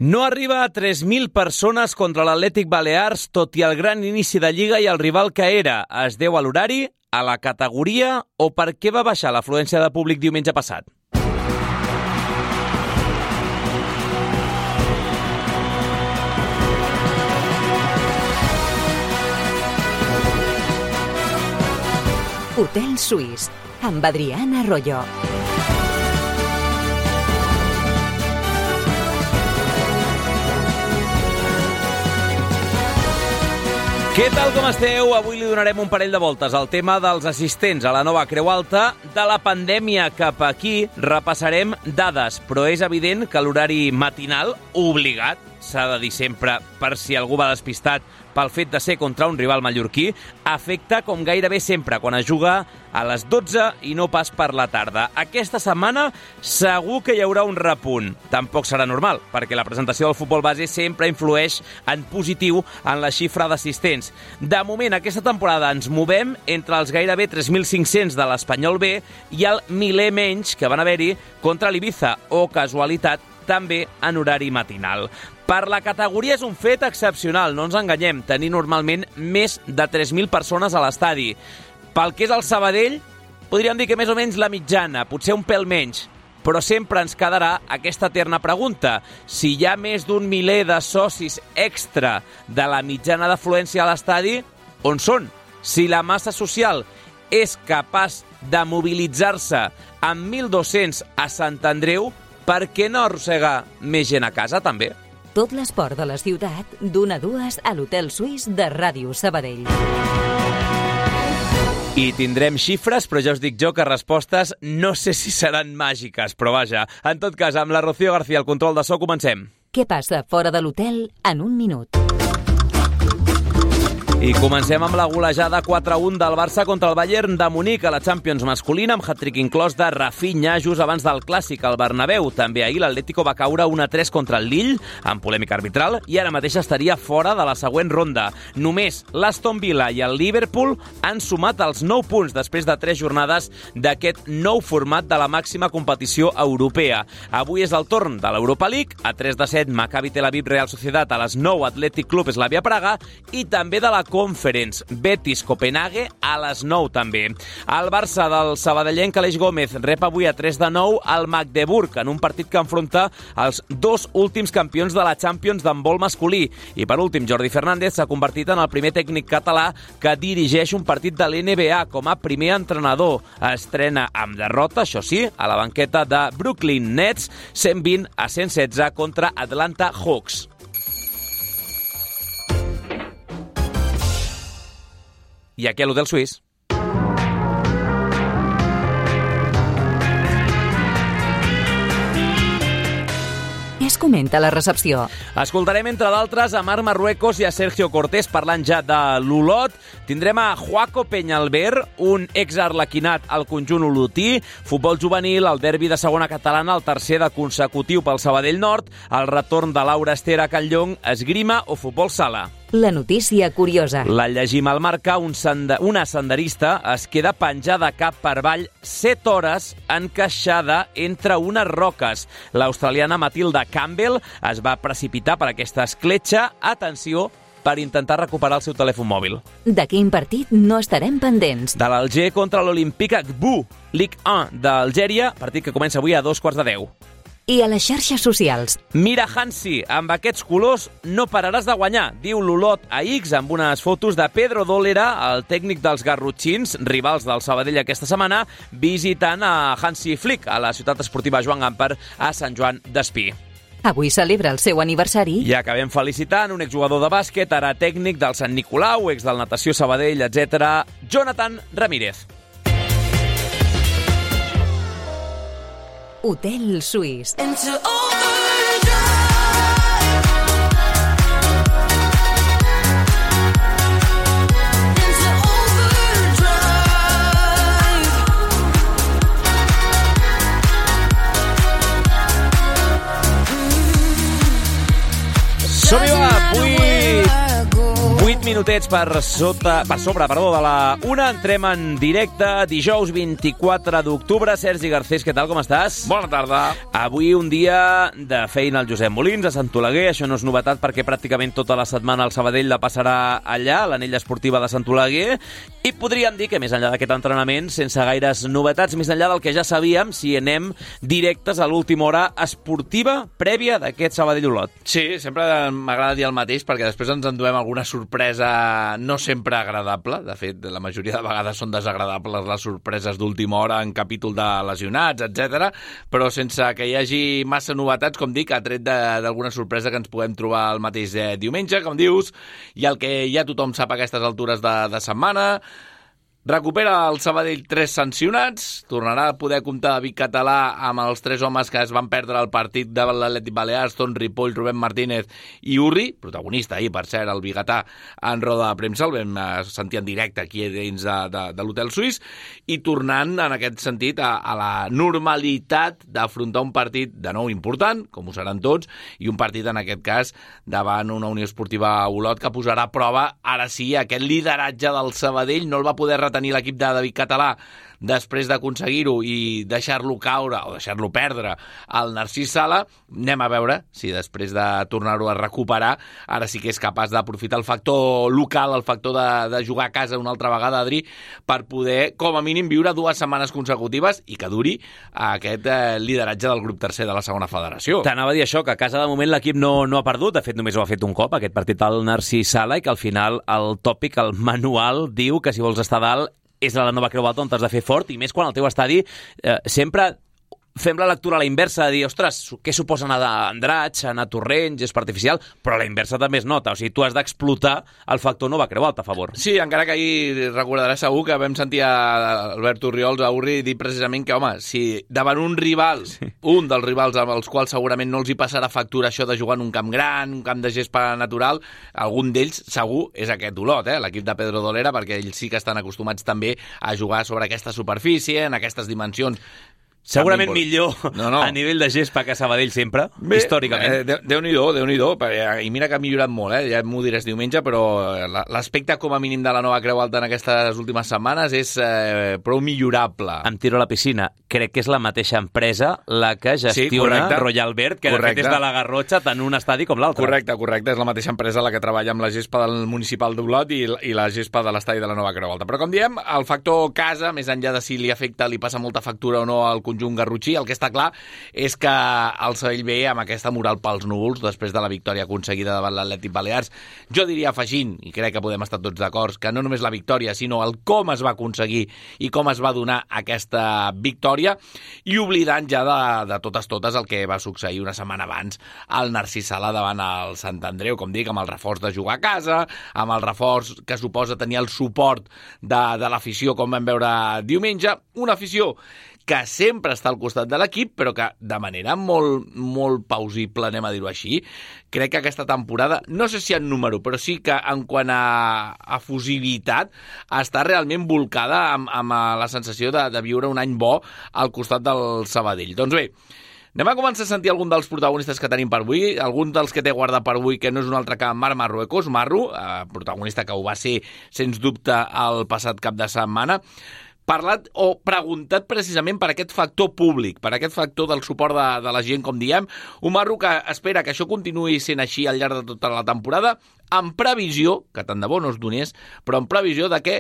No arriba a 3.000 persones contra l'Atlètic Balears, tot i el gran inici de Lliga i el rival que era. Es deu a l'horari, a la categoria o per què va baixar l'afluència de públic diumenge passat? Hotel Suís, amb Adriana Arroyo. Què tal, com esteu? Avui li donarem un parell de voltes al tema dels assistents a la nova Creu Alta. De la pandèmia cap aquí repassarem dades, però és evident que l'horari matinal, obligat, s'ha de dir sempre per si algú va despistat pel fet de ser contra un rival mallorquí, afecta com gairebé sempre quan es juga a les 12 i no pas per la tarda. Aquesta setmana segur que hi haurà un repunt. Tampoc serà normal, perquè la presentació del futbol base sempre influeix en positiu en la xifra d'assistents. De moment, aquesta temporada ens movem entre els gairebé 3.500 de l'Espanyol B i el miler menys que van haver-hi contra l'Ibiza, o casualitat, també en horari matinal. Per la categoria és un fet excepcional, no ens enganyem, tenir normalment més de 3.000 persones a l'estadi. Pel que és el Sabadell, podríem dir que més o menys la mitjana, potser un pèl menys, però sempre ens quedarà aquesta eterna pregunta. Si hi ha més d'un miler de socis extra de la mitjana d'afluència a l'estadi, on són? Si la massa social és capaç de mobilitzar-se amb 1.200 a Sant Andreu, per què no arrossega més gent a casa, també? Tot l'esport de la ciutat, d'1 a 2 a l'Hotel Suís de Ràdio Sabadell. I tindrem xifres, però ja us dic jo que respostes no sé si seran màgiques, però vaja. En tot cas, amb la Rocío García al control de so, comencem. Què passa fora de l'hotel en un minut? I comencem amb la golejada 4-1 del Barça contra el Bayern de Munic a la Champions masculina, amb hat-trick inclòs de Rafinha just abans del Clàssic al Bernabéu. També ahir l'Atlético va caure 1-3 contra el Lille, amb polèmica arbitral, i ara mateix estaria fora de la següent ronda. Només l'Aston Villa i el Liverpool han sumat els 9 punts després de 3 jornades d'aquest nou format de la màxima competició europea. Avui és el torn de l'Europa League, a 3-7 Maccabi Tel Aviv Real Societat, a les 9 Athletic Club Slavia Praga, i també de la Conference, Betis Copenhague a les 9 també. El Barça del sabadellenc Aleix Gómez rep avui a 3-9 al Magdeburg en un partit que enfronta els 2 últims campions de la Champions d'handbol masculí. I per últim, Jordi Fernández s'ha convertit en el primer tècnic català que dirigeix un partit de l'NBA com a primer entrenador. Estrena amb derrota, això sí, a la banqueta de Brooklyn Nets, 120-116 contra Atlanta Hawks. I aquí a l'Hotel Suís. Què es comenta a la recepció? Escoltarem, entre d'altres, a Marc Marruecos i a Sergio Cortés parlant ja de l'Olot. Tindrem a Joaco Peñalver, un exarlequinat al conjunt olotí, futbol juvenil, el derbi de segona catalana, el tercer de consecutiu pel Sabadell Nord, el retorn de Laura Esther a Can Llong, esgrima o futbol sala. La notícia curiosa. La llegim al Marca, una senderista es queda penjada cap per avall 7 hores encaixada entre unes roques. L'australiana Matilda Campbell es va precipitar per aquesta escletxa, atenció, per intentar recuperar el seu telèfon mòbil. De quin partit no estarem pendents? De l'Alger contra l'Olympique Agbo, Ligue 1 d'Algèria, partit que comença avui a 2:15. I a les xarxes socials. Mira Hansi, amb aquests colors no pararàs de guanyar, diu l'Olot a X amb unes fotos de Pedro Dólera, el tècnic dels garrotxins, rivals del Sabadell aquesta setmana, visitant a Hansi Flick a la ciutat esportiva Joan Gamper a Sant Joan d'Espí. Avui celebra el seu aniversari. I acabem felicitant un exjugador de bàsquet, ara tècnic del Sant Nicolau, ex del Natació Sabadell, etc., Jonathan Ramírez. Hotel Suís. Som-hi, va! 8 minutets per sobre de la 1. Entrem en directe, dijous 24 d'octubre. Sergi Garcés, què tal, com estàs? Bona tarda. Avui un dia de feina al Josep Molins, a Sant Oleguer. Això no és novetat perquè pràcticament tota la setmana el Sabadell la passarà allà, a l'anella esportiva de Sant Oleguer. I podríem dir que més enllà d'aquest entrenament, sense gaires novetats, més enllà del que ja sabíem, si anem directes a l'última hora esportiva prèvia d'aquest Sabadell-Olot. Sí, sempre m'agrada dir el mateix perquè després ens enduem alguna sorpresa no sempre agradable. De fet, la majoria de vegades són desagradables les sorpreses d'última hora en capítol de lesionats, etc. Però sense que hi hagi massa novetats, com dic, ha tret d'alguna sorpresa que ens podem trobar el mateix diumenge, com dius, i el que ja tothom sap a aquestes altures de setmana. Recupera el Sabadell 3 sancionats, tornarà a poder comptar David Català amb els 3 homes que es van perdre el partit de l'Atlètic Balears, Ton Ripoll, Rubén Martínez i Urri, protagonista ahir, per cert, el biguetà en roda de premsa, el vam sentir en directe aquí dins de l'Hotel Suís, i tornant en aquest sentit a la normalitat d'afrontar un partit de nou important, com ho seran tots, i un partit en aquest cas davant una Unió Esportiva Olot que posarà a prova, ara sí, aquest lideratge del Sabadell. No el va poder retenir l'equip de David Català després d'aconseguir-ho i deixar-lo caure o deixar-lo perdre al Narcís Sala. Anem a veure si després de tornar-ho a recuperar ara sí que és capaç d'aprofitar el factor local, el factor de jugar a casa una altra vegada, Adri, per poder com a mínim viure 2 setmanes consecutives i que duri aquest lideratge del grup tercer de la segona federació. T'anava a dir això, que a casa de moment l'equip no ha perdut, de fet només ho ha fet un cop aquest partit al Narcís Sala, i que al final el tòpic, el manual, diu que si vols estar dalt és a la nova Creu Alta on t'has de fer fort, i més quan el teu estadi sempre fem la lectura a la inversa, de dir, ostres, què suposa anar a Andratx, anar a Torrents, és artificial, però a la inversa també es nota, o sigui, tu has d'explotar el factor nova Creu Alta a favor. Sí, encara que ahir recordaràs segur que vam sentir a Albert Orriols, a Urri, dir precisament que, home, si davant un rival, un dels rivals amb els quals segurament no els hi passarà factura això de jugar en un camp gran, un camp de gespa natural, algun d'ells segur és aquest Olot, l'equip de Pedro Dolera, perquè ells sí que estan acostumats també a jugar sobre aquesta superfície, en aquestes dimensions. Segurament millor a nivell de gespa que Sabadell sempre, històricament. Déu-n'hi-do, i mira que ha millorat molt, ja m'ho diràs diumenge, però l'aspecte com a mínim de la nova Creu Alta en aquestes últimes setmanes és prou millorable. Em tiro a la piscina. Crec que és la mateixa empresa la que gestiona Royal Verd, que de fet és de la Garrotxa, tant un estadi com l'altre. Correcte, és la mateixa empresa la que treballa amb la gespa del municipal d'Olot i la gespa de l'estadi de la nova Creu Alta. Però com diem, el factor casa, més enllà de si li afecta, li passa molta factura o no al conjunt garrotxí, el que està clar és que el Sabadell ve amb aquesta moral pels núvols després de la victòria aconseguida davant l'Atlètic Balears. Jo diria, afegint, i crec que podem estar tots d'acord, que no només la victòria, sinó el com es va aconseguir i com es va donar aquesta victòria, i oblidant ja de totes el que va succeir una setmana abans al Narcís Sala davant el Sant Andreu, com dic, amb el reforç de jugar a casa, amb el reforç que suposa tenir el suport de l'afició, com vam veure diumenge, una afició que sempre està al costat de l'equip, però que de manera molt, molt pausible, anem a dir-ho així, crec que aquesta temporada, no sé si en número, però sí que en quant a fusibilitat, està realment volcada amb la sensació de viure un any bo al costat del Sabadell. Doncs bé, anem a començar a sentir algun dels protagonistes que tenim per avui, algun dels que té guardat per avui, que no és un altre que Marc Marruecos, protagonista que ho va ser, sens dubte, el passat cap de setmana, parlat o preguntat precisament per aquest factor públic, per aquest factor del suport de la gent, com diem. Un Marro que espera que això continuï sent així al llarg de tota la temporada, en previsió, que tant de bo no es donés, però en previsió de que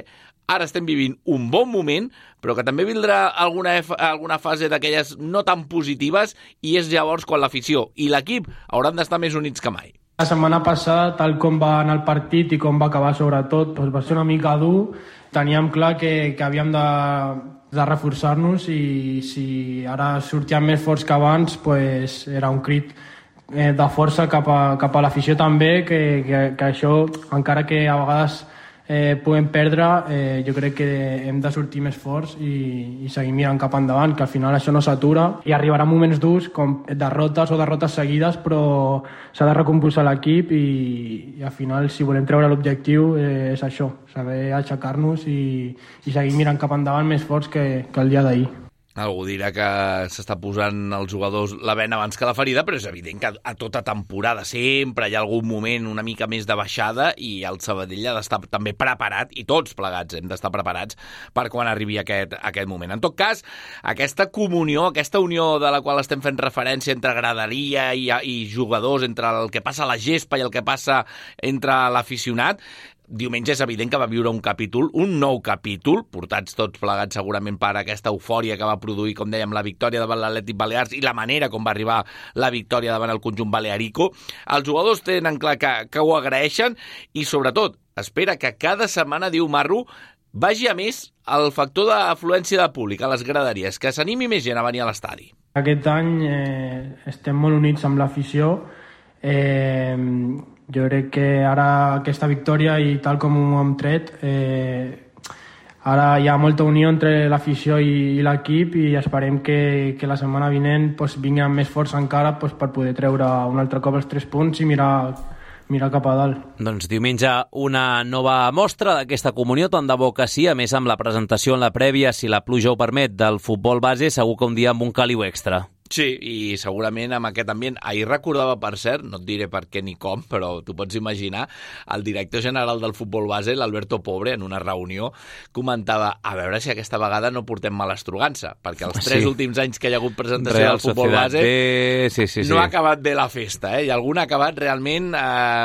ara estem vivint un bon moment, però que també vindrà alguna fase d'aquelles no tan positives, i és llavors quan l'afició i l'equip hauran d'estar més units que mai. La setmana passada, tal com va anar el partit i com va acabar sobretot, doncs va ser una mica dur. Teníem clar que havíem de reforçar-nos, i si ara sortíem més forts que abans, doncs era un crit de força cap a l'afició també, que això, encara que a vegades puguem perdre, jo crec que hem de sortir més forts i seguir mirant cap endavant, que al final això no s'atura, i arribarà moments durs com derrotes seguides, però s'ha de recompulsar l'equip, i al final, si volem treure l'objectiu, és això, saber aixecar-nos i seguir mirant cap endavant més forts que el dia d'ahir. Algú dirà que s'està posant els jugadors la bena abans que la ferida, però és evident que a tota temporada sempre hi ha algun moment una mica més de baixada i el Sabadell ha d'estar també preparat, i tots plegats hem d'estar preparats per quan arribi aquest moment. En tot cas, aquesta comunió, aquesta unió de la qual estem fent referència entre graderia i jugadors, entre el que passa a la gespa i el que passa entre l'aficionat, diumenge és evident que va viure un nou capítol, portats tots plegats segurament per aquesta eufòria que va produir, com dèiem, la victòria davant l'Atlètic Balears i la manera com va arribar la victòria davant el conjunt balearico. Els jugadors tenen clar que ho agraeixen i, sobretot, espera que cada setmana, diu Marro, vagi a més el factor d'afluència de públic a les graderies, que s'animi més gent a venir a l'estadi. Aquest any estem molt units amb l'afició. Jo crec que ara aquesta victòria i tal com ho hem tret, ara hi ha molta unió entre l'afició i l'equip i esperem que la setmana vinent vingui amb més força encara per poder treure un altre cop els 3 punts i mirar cap a dalt. Doncs diumenge una nova mostra d'aquesta comunió, tant de bo que sí, a més amb la presentació en la prèvia, si la pluja ho permet, del futbol base, segur que un dia amb un caliu extra. Sí, i segurament amb aquest ambient. Ahir recordava, per cert, no et diré per què ni com, però tu pots imaginar, el director general del futbol base, l'Alberto Pobre, en una reunió, comentava a veure si aquesta vegada no portem malastrugança, perquè els 3 últims anys que hi ha hagut presentació Real del futbol base sí. No ha acabat bé la festa, i algun ha acabat realment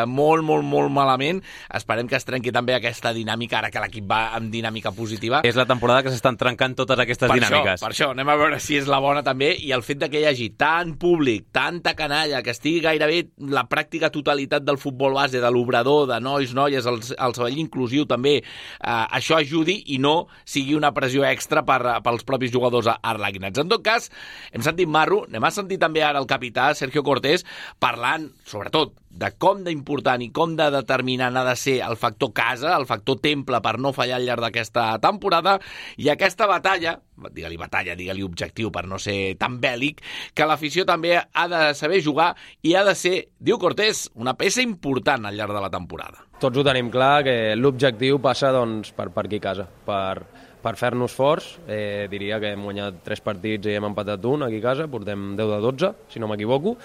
molt malament. Esperem que es trenqui també aquesta dinàmica, ara que l'equip va amb dinàmica positiva. És la temporada que s'estan trencant totes aquestes dinàmiques. Per això, anem a veure si és la bona també, i el fet de que hi hagi tant públic, tanta canalla, que estigui gairebé la pràctica totalitat del futbol base, de l'obrador, de nois, noies, el Sabadell inclusiu també, això ajudi i no sigui una pressió extra pels propis jugadors arlequinats. En tot cas, hem sentit Marro, anem a sentir també ara el capità, Sergio Cortés, parlant, sobretot, de com d'important i com de determinant ha de ser el factor casa, el factor temple per no fallar al llarg d'aquesta temporada, i aquesta batalla, digue-li objectiu per no ser tan bèl·lic, que l'afició també ha de saber jugar i ha de ser, diu Cortés, una peça important al llarg de la temporada. Tots ho tenim clar, que l'objectiu passa per aquí a casa, per fer-nos forts. Diria que hem guanyat 3 partits i hem empatat un aquí a casa, portem 10 de 12, si no m'equivoco.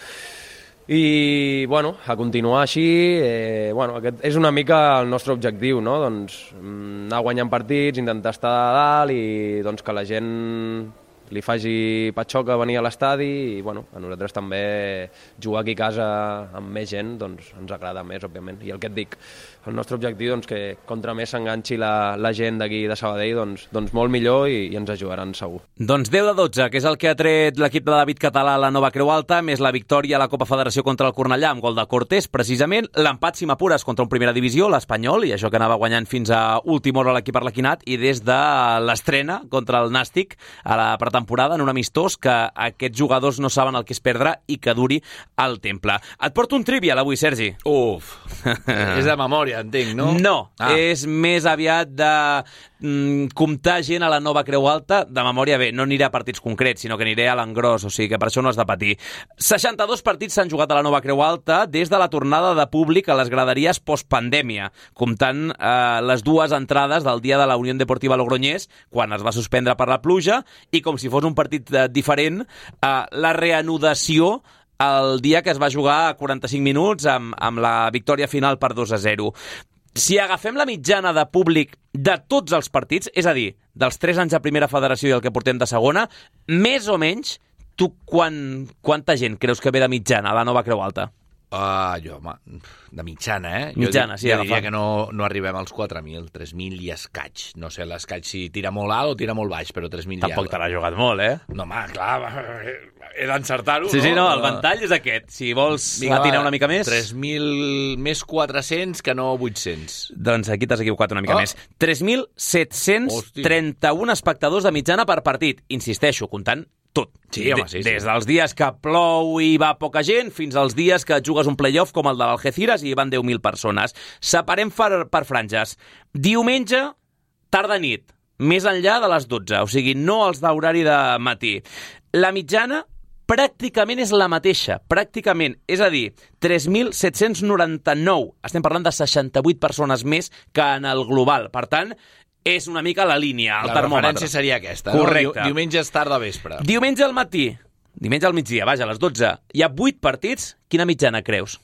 I, a continuar així, aquest és una mica el nostre objectiu, no? Doncs anar guanyant partits, intentar estar a dalt i que la gent li faci patxoca venir a l'estadi i, a nosaltres també jugar aquí a casa amb més gent, ens agrada més, òbviament. I el que et dic, el nostre objectiu, que contra més s'enganxi la gent d'aquí de Sabadell, molt millor i ens ajudaran segur. Doncs 10 de 12, que és el que ha tret l'equip de David Català a la nova Creu Alta, més la victòria a la Copa Federació contra el Cornellà amb gol de Cortés, precisament l'empat si m'apures contra un primera divisió, l'Espanyol, i això que anava guanyant fins a última hora l'equip arlequinat, i des de l'estrena contra el Nàstic a la pretemporada en un amistós que aquests jugadors no saben el que és perdre i que duri al temple. Et porto un trivial avui, Sergi. Uf, és de memòria, entenc, no? No, és més aviat de comptar gent a la nova Creu Alta. De memòria, bé, no aniré a partits concrets, sinó que aniré a l'engròs, o sigui que per això no has de patir. 62 partits s'han jugat a la nova Creu Alta des de la tornada de públic a les graderies postpandèmia, comptant les 2 entrades del dia de la Unió Deportiva Logroñés, quan es va suspendre per la pluja, i com si fos un partit diferent, la reanudació el dia que es va jugar a 45 minuts amb la victòria final per 2-0. Si agafem la mitjana de públic de tots els partits, és a dir, dels 3 anys de primera federació i el que portem de segona, més o menys, tu quanta gent creus que ve de mitjana a la nova Creu Alta? De mitjana, Mitjana, jo diria que no arribem als 4.000, 3.000 i escaig. No sé l'escaig si tira molt alt o tira molt baix, però 3.000 ja... Tampoc te l'ha jugat molt, No, clar, he d'encertar-ho, Sí, no, el ventall és aquest. Si vols tirar una mica més... 3.000 més 400 que no 800. Doncs aquí t'has equivocat una mica més. 3.731 espectadors de mitjana per partit. Insisteixo, comptant tot. Sí, home, sí. Des dels dies que plou i va poca gent fins als dies que jugues un playoff com el de l'Algeciras i hi van 10.000 persones. Separem per franges. Diumenge, tarda-nit, més enllà de les 12, o sigui, no els d'horari de matí. La mitjana pràcticament és la mateixa, pràcticament. És a dir, 3.799. Estem parlant de 68 persones més que en el global. Per tant, és una mica la línia, el La termòmetre. referència seria aquesta, correcte. no? Diumenge és tard de vespre. Diumenge al matí, diumenge al migdia, vaja, a les 12, hi ha 8 partits. Quina mitjana creus?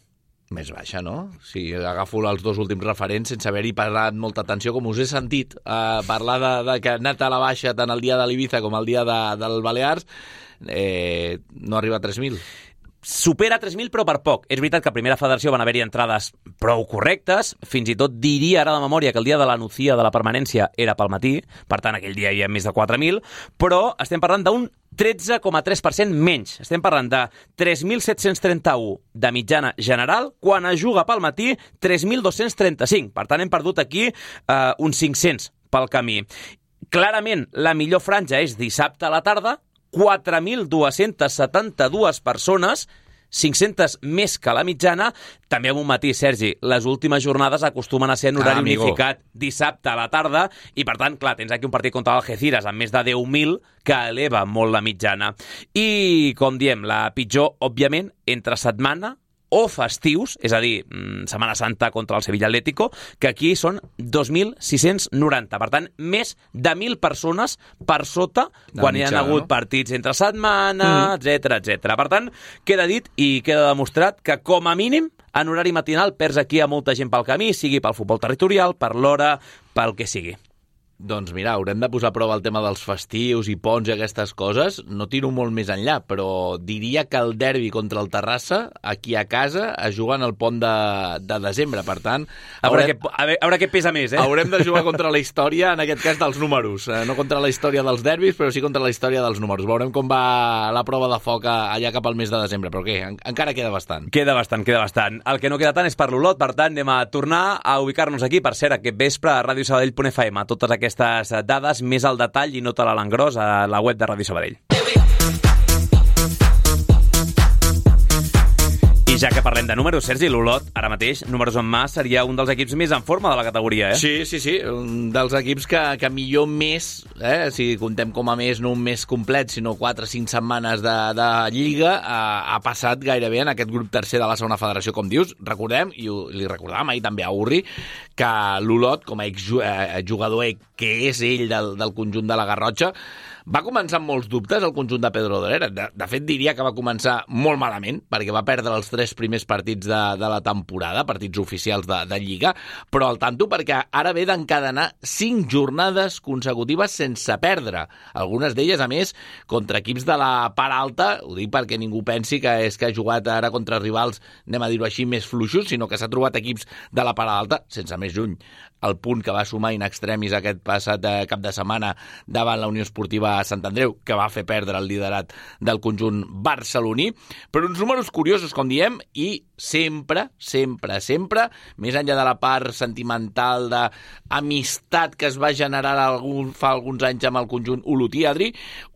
Més baixa, no? Si agafo els dos últims referents sense haver-hi parlat molta atenció, com us he sentit parlar de que ha anat a la baixa tant el dia de l'Ibiza com el dia del Balears, no arriba a 3.000. Supera 3.000, però per poc. És veritat que a Primera Federació van haver-hi entrades prou correctes, fins i tot diria ara de memòria que el dia de la Nucía de la permanència era pel matí, per tant aquell dia hi ha més de 4.000, però estem parlant d'un 13,3% menys. Estem parlant de 3.731 de mitjana general, quan es juga pel matí 3.235. Per tant, hem perdut aquí uns 500 pel camí. Clarament, la millor franja és dissabte a la tarda, 4.272 persones, 500 més que la mitjana. També amb un matí, Sergi, les últimes jornades acostumen a ser en horari unificat dissabte a la tarda i, per tant, clar, tens aquí un partit contra l'Algeciras amb més de 10.000 que eleva molt la mitjana. I, com diem, la pitjor, òbviament, entre setmana o festius, és a dir, Setmana Santa contra el Sevilla Atlético, que aquí són 2.690. Per tant, més de 1.000 persones per sota quan hi ha hagut partits entre setmana, etc etc. Per tant, queda dit i queda demostrat que, com a mínim, en horari matinal perds aquí a molta gent pel camí, sigui pel futbol territorial, per l'hora, pel que sigui. Doncs mira, haurem de posar a prova el tema dels festius i ponts i aquestes coses. No tiro molt més enllà, però diria que el derbi contra el Terrassa, aquí a casa, es juga en el pont de desembre. Per tant, a veure què pesa més, Haurem de jugar contra la història, en aquest cas, dels números. No contra la història dels derbis, però sí contra la història dels números. Veurem com va la prova de foc allà cap al mes de desembre. Però què? Encara queda bastant. Queda bastant. El que no queda tant és per l'Olot, per tant, anem a tornar a ubicar-nos aquí. Per cert, aquest vespre a radiosabadell.fm, totes aquestes dades més al detall i no te l'engròs a la web de Ràdio Sabadell. I ja que parlem de números, Sergi, l'Olot, ara mateix, números en mà, seria un dels equips més en forma de la categoria, Sí, un dels equips que millor més, si contem com a més, no un mes complet, sinó 4 o 5 setmanes de Lliga, ha passat gairebé en aquest grup tercer de la segona federació, com dius. Recordem, i li recordàvem ahir també a Urri, que l'Olot, com a exjugador que és ell del conjunt de la Garrotxa, va començar amb molts dubtes el conjunt de Pedro Dolera. De fet, diria que va començar molt malament, perquè va perdre els 3 primers partits de la temporada, partits oficials de Lliga, però al tanto perquè ara ve d'encadenar 5 jornades consecutives sense perdre. Algunes d'elles, a més, contra equips de la part alta, ho dic perquè ningú pensi que és que ha jugat ara contra rivals, anem a dir-ho així, més fluixos, sinó que s'ha trobat equips de la part alta, sense més lluny. El punt que va sumar in extremis aquest passat cap de setmana davant la Unió Esportiva Sant Andreu, que va fer perdre el liderat del conjunt barceloní, però uns números curiosos, com diem, i sempre, més enllà de la part sentimental d'amistat que es va generar fa alguns anys amb el conjunt olotí, Adri,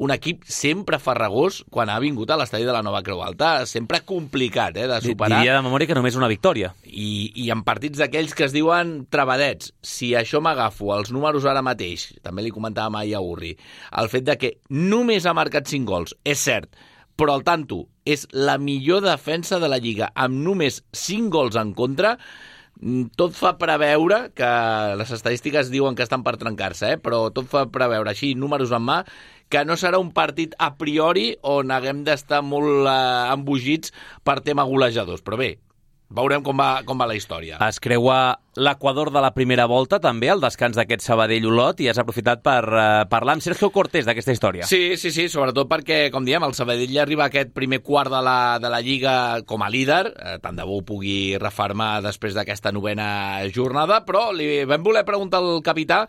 un equip sempre farragós quan ha vingut a l'estadi de la Nova Creu Alta, sempre complicat de superar. Diria de memòria que només una victòria. I en partits d'aquells que es diuen travadets. Si això m'agafo els números ara mateix, també li comentàvem ahir a Urri, el fet de que només ha marcat 5 gols, és cert, però al tanto és la millor defensa de la Lliga, amb només 5 gols en contra, tot fa preveure que les estadístiques diuen que estan per trencar-se, però tot fa preveure així, números en mà, que no serà un partit a priori on haguem d'estar molt embogits per tema golejadors. Però bé, veurem com va la història. Es creua l'Equador de la primera volta, també, al descans d'aquest Sabadell-Olot, i has aprofitat per parlar amb Sergio Cortés d'aquesta història. Sí, sobretot perquè, com diem, el Sabadell arriba a aquest primer quart de la Lliga com a líder, tant de bo ho pugui refermar després d'aquesta 9a jornada, però li vam voler preguntar al capità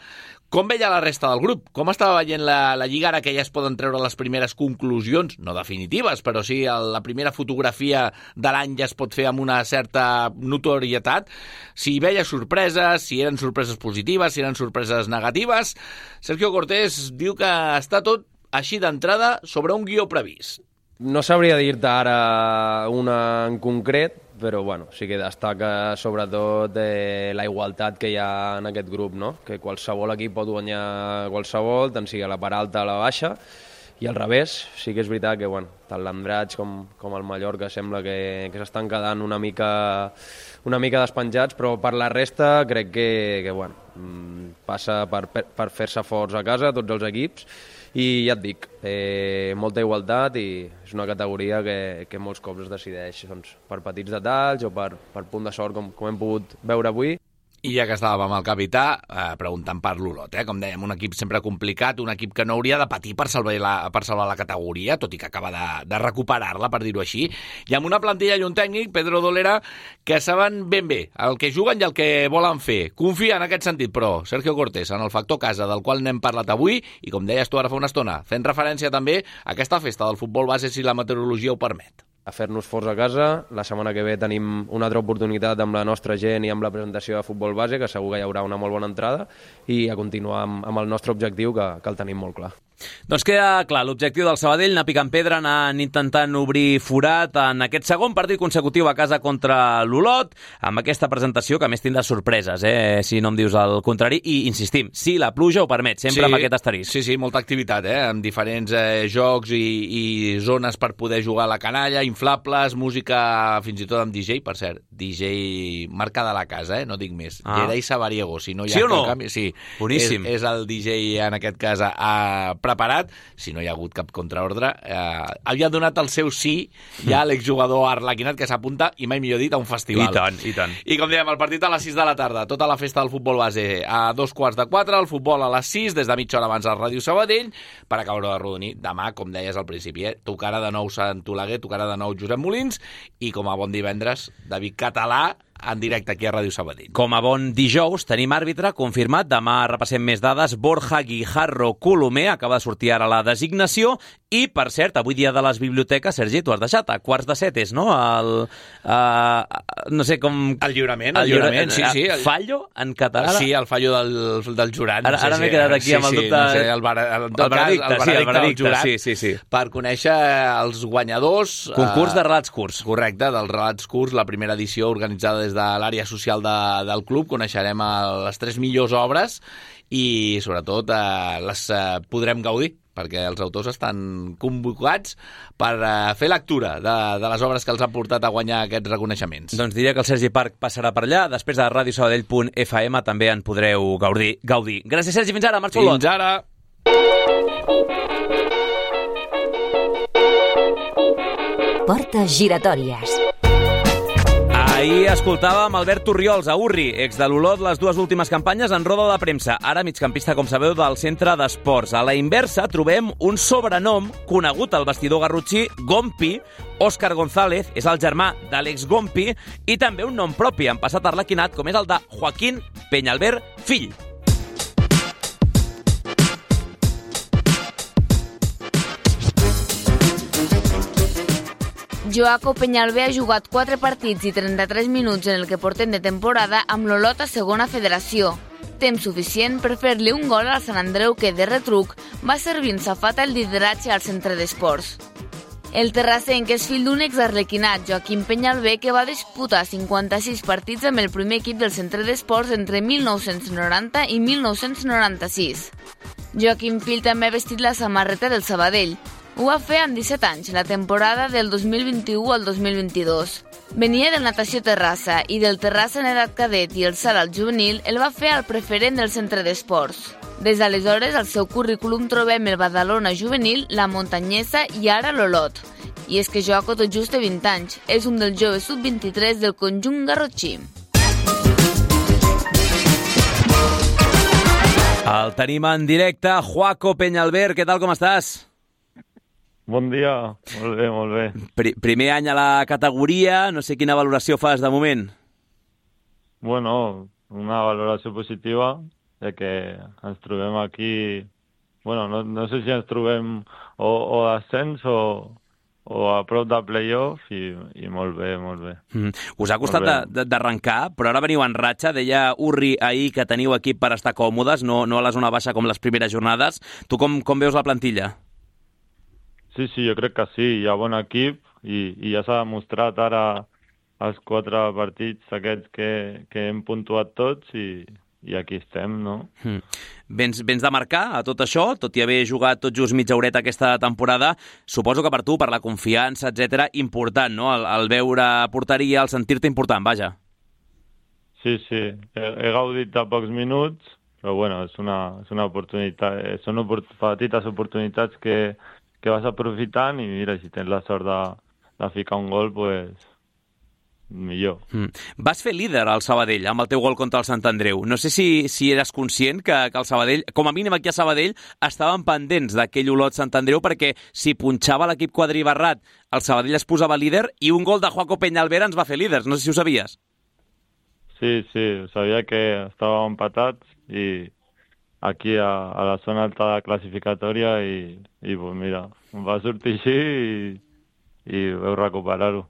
com veia la resta del grup, com estava veient la Lliga ara que ja es poden treure les primeres conclusions, no definitives, però sí la primera fotografia de l'any ja es pot fer amb una certa notorietat, si veia sorpreses, si eren sorpreses positives, si eren sorpreses negatives. Sergio Cortés diu que està tot així d'entrada sobre un guió previst. No sabria dir-te ara una en concret, però bueno, sí que destaca sobretot la igualtat que hi ha en aquest grup, no? Que qualsevol equip pot guanyar qualsevol, tant sigui a la part alta o a la baixa, al revés, sí que és veritat que tant l'Andratx com el Mallorca sembla que s'estan quedant una mica despenjats, però per la resta crec que passa per fer-se forts a casa tots els equips, i ja et dic, molta igualtat, i és una categoria que molts cops es decideix per petits detalls o per punt de sort, com hem pogut veure avui. I ja que estàvem amb el capità, preguntant per l'Olot, com dèiem, un equip sempre complicat, un equip que no hauria de patir per salvar la categoria, tot i que acaba de recuperar-la, per dir-ho així, i amb una plantilla i un tècnic, Pedro Dolera, que saben ben bé el que juguen i el que volen fer. Confia en aquest sentit, però, Sergio Cortés, en el factor casa, del qual n'hem parlat avui, i com deies tu ara fa una estona, fent referència també a aquesta festa del futbol base, si la meteorologia ho permet. A fer-nos forts a casa. La setmana que ve tenim una altra oportunitat amb la nostra gent i amb la presentació de futbol base, que segur que hi haurà una molt bona entrada, i a continuar amb el nostre objectiu, que el tenim molt clar. Doncs queda clar, l'objectiu del Sabadell, anar picant pedra, anar intentant obrir forat en aquest segon partit consecutiu a casa contra l'Olot, amb aquesta presentació que a més tindrà sorpreses, si no em dius el contrari, i insistim, si la pluja ho permet, sempre amb aquest asterisc. Sí, molta activitat, amb diferents jocs i zones per poder jugar a la canalla, inflables, música fins i tot amb DJ, per cert, DJ marca de la casa, no dic més, Gerai Sabariego, si no hi ha canvi, sí, boníssim. És el DJ en aquest cas preparat, si no hi ha hagut cap contraordre, havia donat el seu sí ja a l'exjugador arlequinat que s'apunta, i mai millor dit, a un festival. I tant. I com dèiem, el partit a les 6 de la tarda, tota la festa del futbol base a 3:15, el futbol a les 6, des de mitja hora abans al Ràdio Sabadell, per acabar de rodonir. Demà, com deies al principi, tocarà de nou Sant Oleguer, tocarà de nou Josep Molins, i com a bon divendres, David Català, en directe aquí a Ràdio Sabadell. Com a bon dijous, tenim àrbitre confirmat. Demà repassem més dades. Borja Guijarro Colomer acaba de sortir ara la designació. I, per cert, avui dia de les biblioteques, Sergi, tu has deixat a 6:45, no? No sé com... El lliurament, sí. Fallo en català? Sí, el fallo del jurat. Ara m'he quedat aquí amb el dubte... No sé, el veredicte del jurat. Sí. Per conèixer els guanyadors... Concurs de relats curts. Correcte, dels relats curts, la primera edició organitzada des de l'àrea social del club. Coneixerem les 3 millors obres i, sobretot, les podrem gaudir, perquè els autors estan convocats per fer lectura de les obres que els han portat a guanyar aquests reconeixements. Doncs diria que el Sergi Parc passarà per allà. Després de radiosabadell.fm també en podreu gaudir. Gràcies, Sergi. Fins ara. Marxo Olot. Fins ara. Portes giratòries. Ahir escoltàvem Albert Torriols, a Urri, ex de l'Olot, les 2 últimes campanyes en roda de premsa. Ara migcampista, com sabeu, del centre d'esports. A la inversa trobem un sobrenom conegut al vestidor garrotxí, Gompi. Òscar González és el germà d'Àlex Gompi, i també un nom propi, en passat arlequinat, com és el de Joaquín Peñalver, fill. Joaco Peñalver ha jugat 4 partits i 33 minuts en el que portem de temporada amb l'Olot a segona federació. Temps suficient per fer-li un gol al Sant Andreu que, de retruc, va servir en safata el lideratge al centre d'esports. El terrassenc és fill d'un exarlequinat, Joaquín Peñalver, que va disputar 56 partits amb el primer equip del centre d'esports entre 1990 i 1996. Joaquín Fill també ha vestit la samarreta del Sabadell. Ho va fer amb 17 anys, la temporada del 2021 al 2022. Venia del Natació Terrassa i del Terrassa en edat cadet, i el salt al juvenil el va fer al preferent del centre d'esports. Des d'aleshores, al seu currículum trobem el Badalona juvenil, la Montanyesa i ara l'Olot. I és que Joaco tot just té 20 anys. És un dels joves sub-23 del conjunt garrotxí. El tenim en directe. Joaco Peñalver, què tal, com estàs? Bon dia, molt bé. Primer any a la categoria, no sé quina valoració fas de moment. Bueno, una valoració positiva, de que ens trobem aquí... Bueno, no sé si ens trobem o d'ascens o a prop de play-off, i molt bé. Us ha costat d'arrencar, però ara veniu en ratxa. Deia Urri ahir que teniu equip per estar còmodes, no a la zona baixa com les primeres jornades. Tu com veus la plantilla? Sí, jo crec que sí, hi ha bon equip i ja s'ha demostrat ara els 4 partits aquests que hem puntuat tots, i aquí estem, no? Vens de marcar a tot això, tot i haver jugat tot just mitja horeta aquesta temporada. Suposo que per tu, per la confiança, etc, important, no? El veure porteria, el sentir-te important, vaja. Sí, he gaudit de pocs minuts, però bueno, és una oportunitat, són petites oportunitats que vas aprofitant i mira, si tens la sort de ficar un gol, pues millor. Vas fer líder al Sabadell amb el teu gol contra el Sant Andreu. No sé si eres conscient que el Sabadell, com a mínim aquí a Sabadell, estaven pendents d'aquell Olot Sant Andreu, perquè si punxava l'equip quadribarrat, el Sabadell es posava líder i un gol de Joaco Peñalver ens va fer líders. No sé si ho sabies. Sí, sabia que estàvem empatats i aquí a la zona alta de classificatòria i pues mira, em va sortir així i vau recuperar-ho.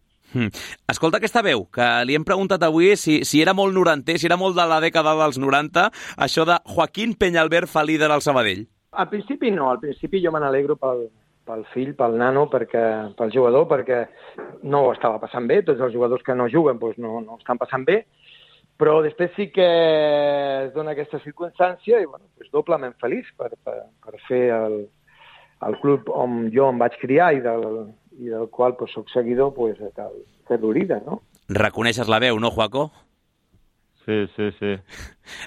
Escolta aquesta veu, que li hem preguntat avui si era molt norantès, si era molt de la dècada dels 90, això de Joaquín Peñalver fa líder al Sabadell. Al principi no, al principi jo me n'alegro pel fill, pel nano, pel jugador, perquè no ho estava passant bé, tots els jugadors que no juguen doncs no estan passant bé, però després sí que es dona aquesta circumstància i bueno, doncs doblement feliç per fer el club on jo em vaig criar i del qual pues, soc seguidor, pues, cal fer-lo líder, no? Reconeixes la veu, no, Joaco? Sí.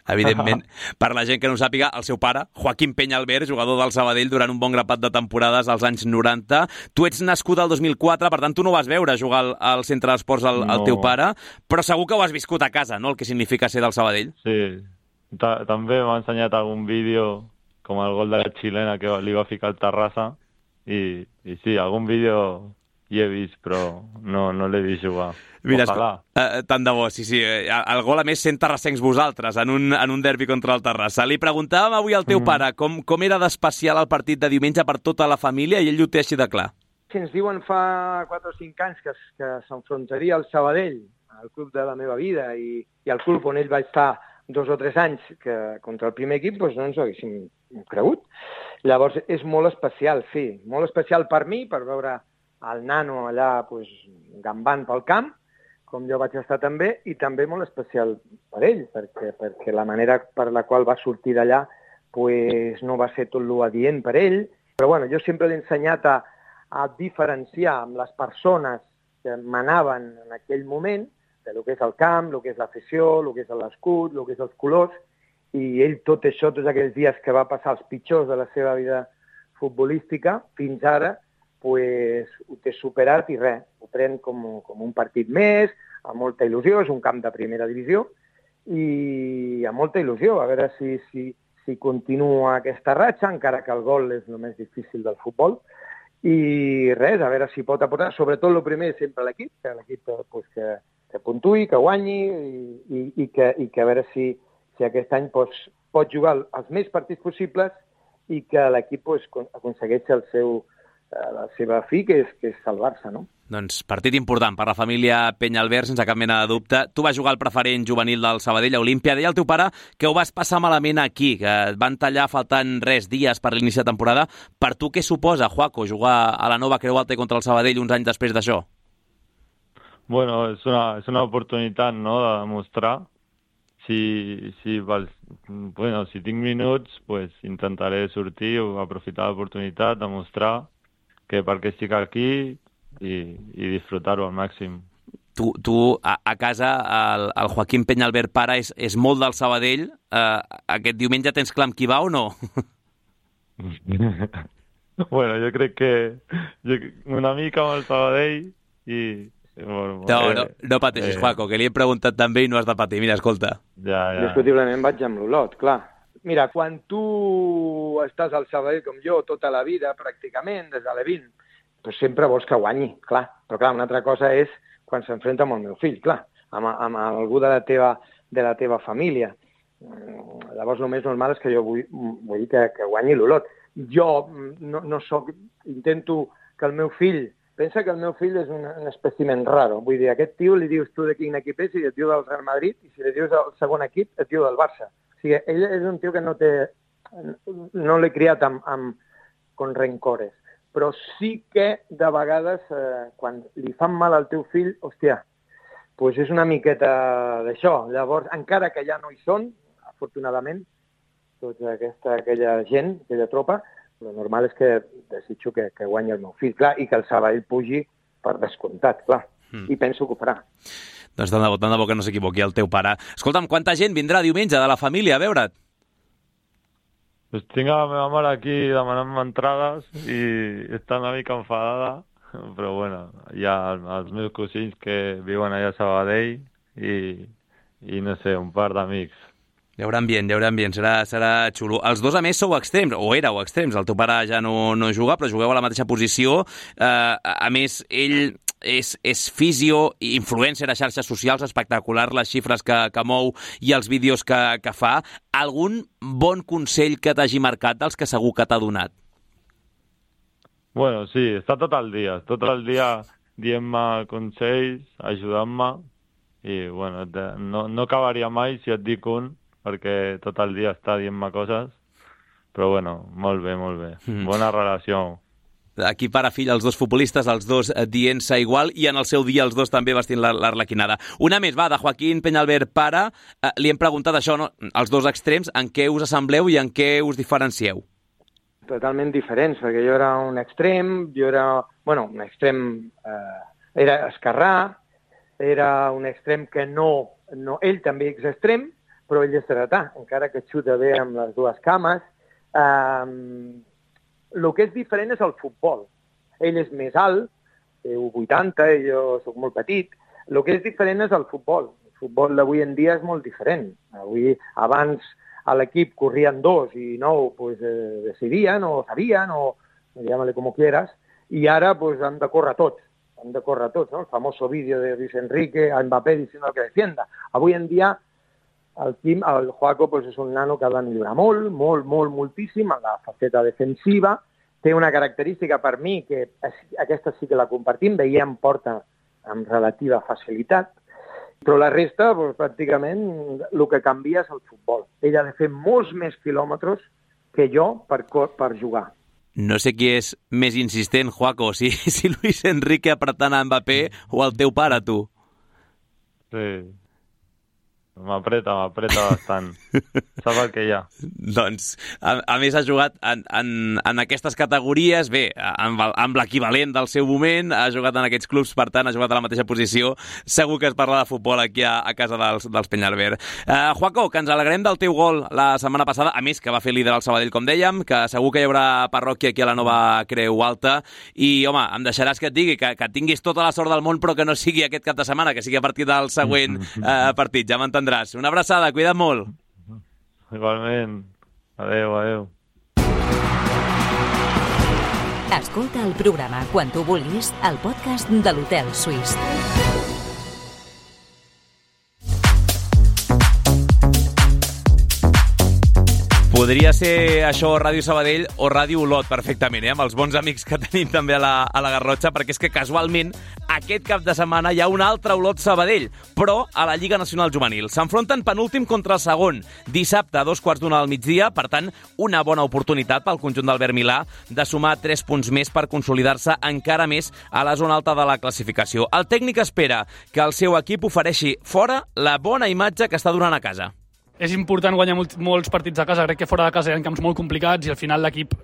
Evidentment, per la gent que no ho sàpiga, el seu pare, Joaquín Peñalver, jugador del Sabadell durant un bon grapat de temporades als anys 90. Tu ets nascut al 2004, per tant, tu no vas veure jugar al Centre d'Esports al teu pare, però segur que ho has viscut a casa, no?, el que significa ser del Sabadell. Sí, també m'ha ensenyat algun vídeo, com el gol de la xilena que li va ficar al Terrassa, i sí, algun vídeo hi he vist, però no l'he vist jugar. Mira, tant de bo, sí. El gol, a més, sent terrassencs vosaltres, en un derbi contra el Terrassa. Li preguntàvem avui al teu pare com era d'especial el partit de diumenge per tota la família, i ell ho té així de clar. Si ens diuen fa 4 o 5 anys que s'enfrontaria al Sabadell, al club de la meva vida, i al club on ell va estar 2 o 3 anys contra el primer equip, doncs no ens ho haguéssim cregut. Llavors, és molt especial, sí. Molt especial per mi, per veure el nano allà gambant pel camp, com jo vaig estar també, i també molt especial per ell, perquè la manera per la qual va sortir d'allà no va ser tot lo adient per ell. Però bueno, jo sempre l'he ensenyat a diferenciar amb les persones que manaven en aquell moment de lo que és el camp, lo que és l'afició, lo que és l'escut, lo que és els colors, i ell tot això, tots aquells dies que va passar els pitjors de la seva vida futbolística, fins ara, ho té superat i res, ho pren com un partit més, amb molta il·lusió, és un camp de primera divisió, i amb molta il·lusió, a veure si continua aquesta ratxa, encara que el gol és el més difícil del futbol, i res, a veure si pot aportar, sobretot el primer sempre l'equip, que l'equip que puntui, que guanyi, i que a veure si aquest any pot jugar els més partits possibles i que l'equip aconsegueixi la seva fi, que és salvar-se, no? Doncs partit important per la família Peñalver, sense cap mena de dubte. Tu vas jugar al preferent juvenil del Sabadell a Olímpia. Deia el teu pare que ho vas passar malament aquí, que et van tallar faltant dies per l'inici de temporada. Per tu què suposa, Joaco, jugar a la nova Creu Alta contra el Sabadell uns anys després d'això? Bueno, és una oportunitat, no?, de demostrar. Si tinc minuts, intentaré sortir o aprofitar l'oportunitat, demostrar que perquè estic aquí i disfrutar-ho al màxim. Tu a casa, el Joaquín Peñalver pare és molt del Sabadell. Aquest diumenge tens clar amb qui va o no? Bueno, jo crec que una mica amb el Sabadell i... No pateixis, Joaco, que li he preguntat també i no has de patir. Mira, escolta. Ja. Discutiblement vaig amb l'Olot, clar. Mira, quan tu estàs al Sabadell com jo tota la vida, pràcticament, des de l'E20, doncs sempre vols que guanyi, clar. Però clar, una altra cosa és quan s'enfrenta amb el meu fill, clar, amb algú de la teva família. Llavors, el més normal és que jo vull que guanyi l'Olot. Jo no soc... Intento que el meu fill... Pensa que el meu fill és un espècimen raro. Vull dir, a aquest tio li dius tu de quin equip és i et diu del Real Madrid, i si li dius el segon equip et diu del Barça. O sigui, ell és un tio que no l'he criat con rencores. Però sí que, de vegades, quan li fan mal al teu fill, hòstia, doncs és una miqueta d'això. Llavors, encara que ja no hi són, afortunadament, tota aquella gent, aquella tropa, el normal és que desitjo que guanyi el meu fill, clar, i que el Sabadell pugi per descomptat, clar, i penso que ho farà. Doncs tant de bo que no s'equivoqui el teu pare. Escolta'm, quanta gent vindrà diumenge de la família a veure't? Pues tinc a la meva mare aquí demanant-me entrades i està una mica enfadada, però bueno, hi ha els meus cosins que viuen allà a Sabadell i no sé, un par d'amics. Hi haurà ambient, serà xulo. Els dos, a més, sou extrems, o éreu extrems. El teu pare ja no juga, però jugueu a la mateixa posició. A més, ell és fisio, influencer a xarxes socials, espectacular les xifres que mou i els vídeos que fa. Algun bon consell que t'hagi marcat dels que segur que t'ha donat? Bueno, sí, està tot el dia dient-me consells, ajudant-me, i bueno, no acabaria mai si et dic un, perquè tot el dia està dient-me coses, però bueno, molt bé. Bona relació. Aquí pare-fill, els dos futbolistes, els dos dient-se igual, i en el seu dia els dos també vestint l'arlequinada. Una més, va, de Joaquín Peñalver, pare. Li hem preguntat això, no? Els dos extrems, en què us assembleu i en què us diferencieu? Totalment diferents, perquè jo era un extrem, un extrem era esquerrà, era un extrem que no... Ell també és extrem, però ell és dretà, encara que xuta bé amb les dues cames. El que és diferent és el futbol. Ell és més alt, té 1,80, i jo soc molt petit. El que és diferent és el futbol. El futbol d'avui en dia és molt diferent. Abans a l'equip corrien 2 i 9 decidien o sabien, o llámale como quieras, i ara han de córrer tots. Han de córrer tots, ¿no? El famoso vídeo de Luis Enrique a Mbappé diciendo que defienda. Avui en dia el Joaco és un nano que ha de millorar moltíssim en la faceta defensiva. Té una característica per mi, que aquesta sí que la compartim, veiem porta amb relativa facilitat, però la resta, pràcticament, el que canvia és el futbol. Ell ha de fer molts més quilòmetres que jo per jugar. No sé qui és més insistent, Joaco, si Luis Enrique apretant a Mbappé o el teu pare, tu. Sí. M'apreta bastant. Sap el que hi ha. Doncs, a més, ha jugat en aquestes categories, bé, amb l'equivalent del seu moment, ha jugat en aquests clubs, per tant, ha jugat a la mateixa posició. Segur que es parla de futbol aquí a casa dels Peñalver. Joaco, que ens alegrem del teu gol la setmana passada, a més que va fer líder al Sabadell, com dèiem, que segur que hi haurà parròquia aquí a la nova Creu Alta, i, home, em deixaràs que et digui que tinguis tota la sort del món, però que no sigui aquest cap de setmana, que sigui a partir del següent partit, ja m'entendràs. Una abraçada, cuida't molt. Igualment. Adéu. Escolta el programa quan tu vulguis al podcast de l'Hotel Suís. Podria ser això Ràdio Sabadell o Ràdio Olot perfectament, amb els bons amics que tenim també a la Garrotxa, perquè és que casualment aquest cap de setmana hi ha un altre Olot Sabadell, però a la Lliga Nacional Juvenil. S'enfronten penúltim contra el segon, dissabte a 2:15 del migdia, per tant, una bona oportunitat pel conjunt d'Albert Milà de sumar 3 punts més per consolidar-se encara més a la zona alta de la classificació. El tècnic espera que el seu equip ofereixi fora la bona imatge que està donant a casa. És important guanyar molts partits a casa. Crec que fora de casa hi ha camps molt complicats i al final l'equip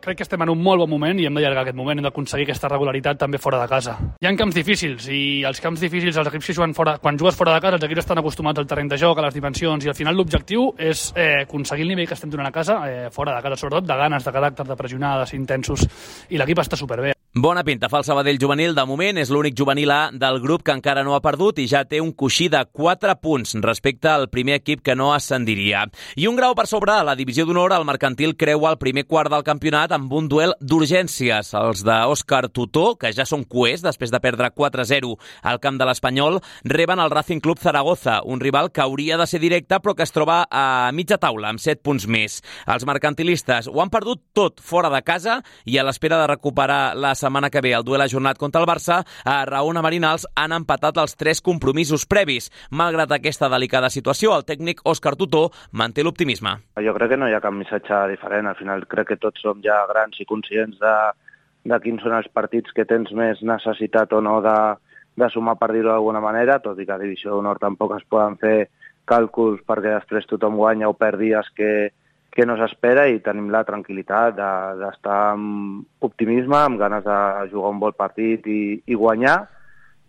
crec que estem en un molt bon moment i hem d'allargar aquest moment, hem d'aconseguir aquesta regularitat també fora de casa. Hi ha camps difícils i els camps difícils, els equips que juguen fora, quan jugues fora de casa, els equips estan acostumats al terreny de joc, a les dimensions, i al final l'objectiu és aconseguir el nivell que estem donant a casa, fora de casa, sobretot de ganes, de caràcter, de pressionar, de ser intensos, i l'equip està superbé. Bona pinta fa el Sabadell juvenil. De moment és l'únic juvenil A del grup que encara no ha perdut i ja té un coixí de 4 punts respecte al primer equip que no ascendiria. I un grau per sobre a la divisió d'honor, el Mercantil creua el primer quart del campionat amb un duel d'urgències. Els d'Òscar Tutó, que ja són cuers després de perdre 4-0 al camp de l'Espanyol, reben el Racing Club Zaragoza, un rival que hauria de ser directe però que es troba a mitja taula amb 7 punts més. Els mercantilistes ho han perdut tot fora de casa i a l'espera de recuperar la setmana que ve el duel ajornat contra el Barça, a Raona Marinals han empatat els 3 compromisos previs. Malgrat aquesta delicada situació, el tècnic Òscar Tutó manté l'optimisme. Jo crec que no hi ha cap missatge diferent. Al final crec que tots som ja grans i conscients de quins són els partits que tens més necessitat o no de sumar, per dir-ho d'alguna manera, tot i que a Divisió d'Honor tampoc es poden fer càlculs perquè després tothom guanya o perd dies que no s'espera, i tenim la tranquil·litat d'estar amb optimisme, amb ganes de jugar un bon partit i guanyar,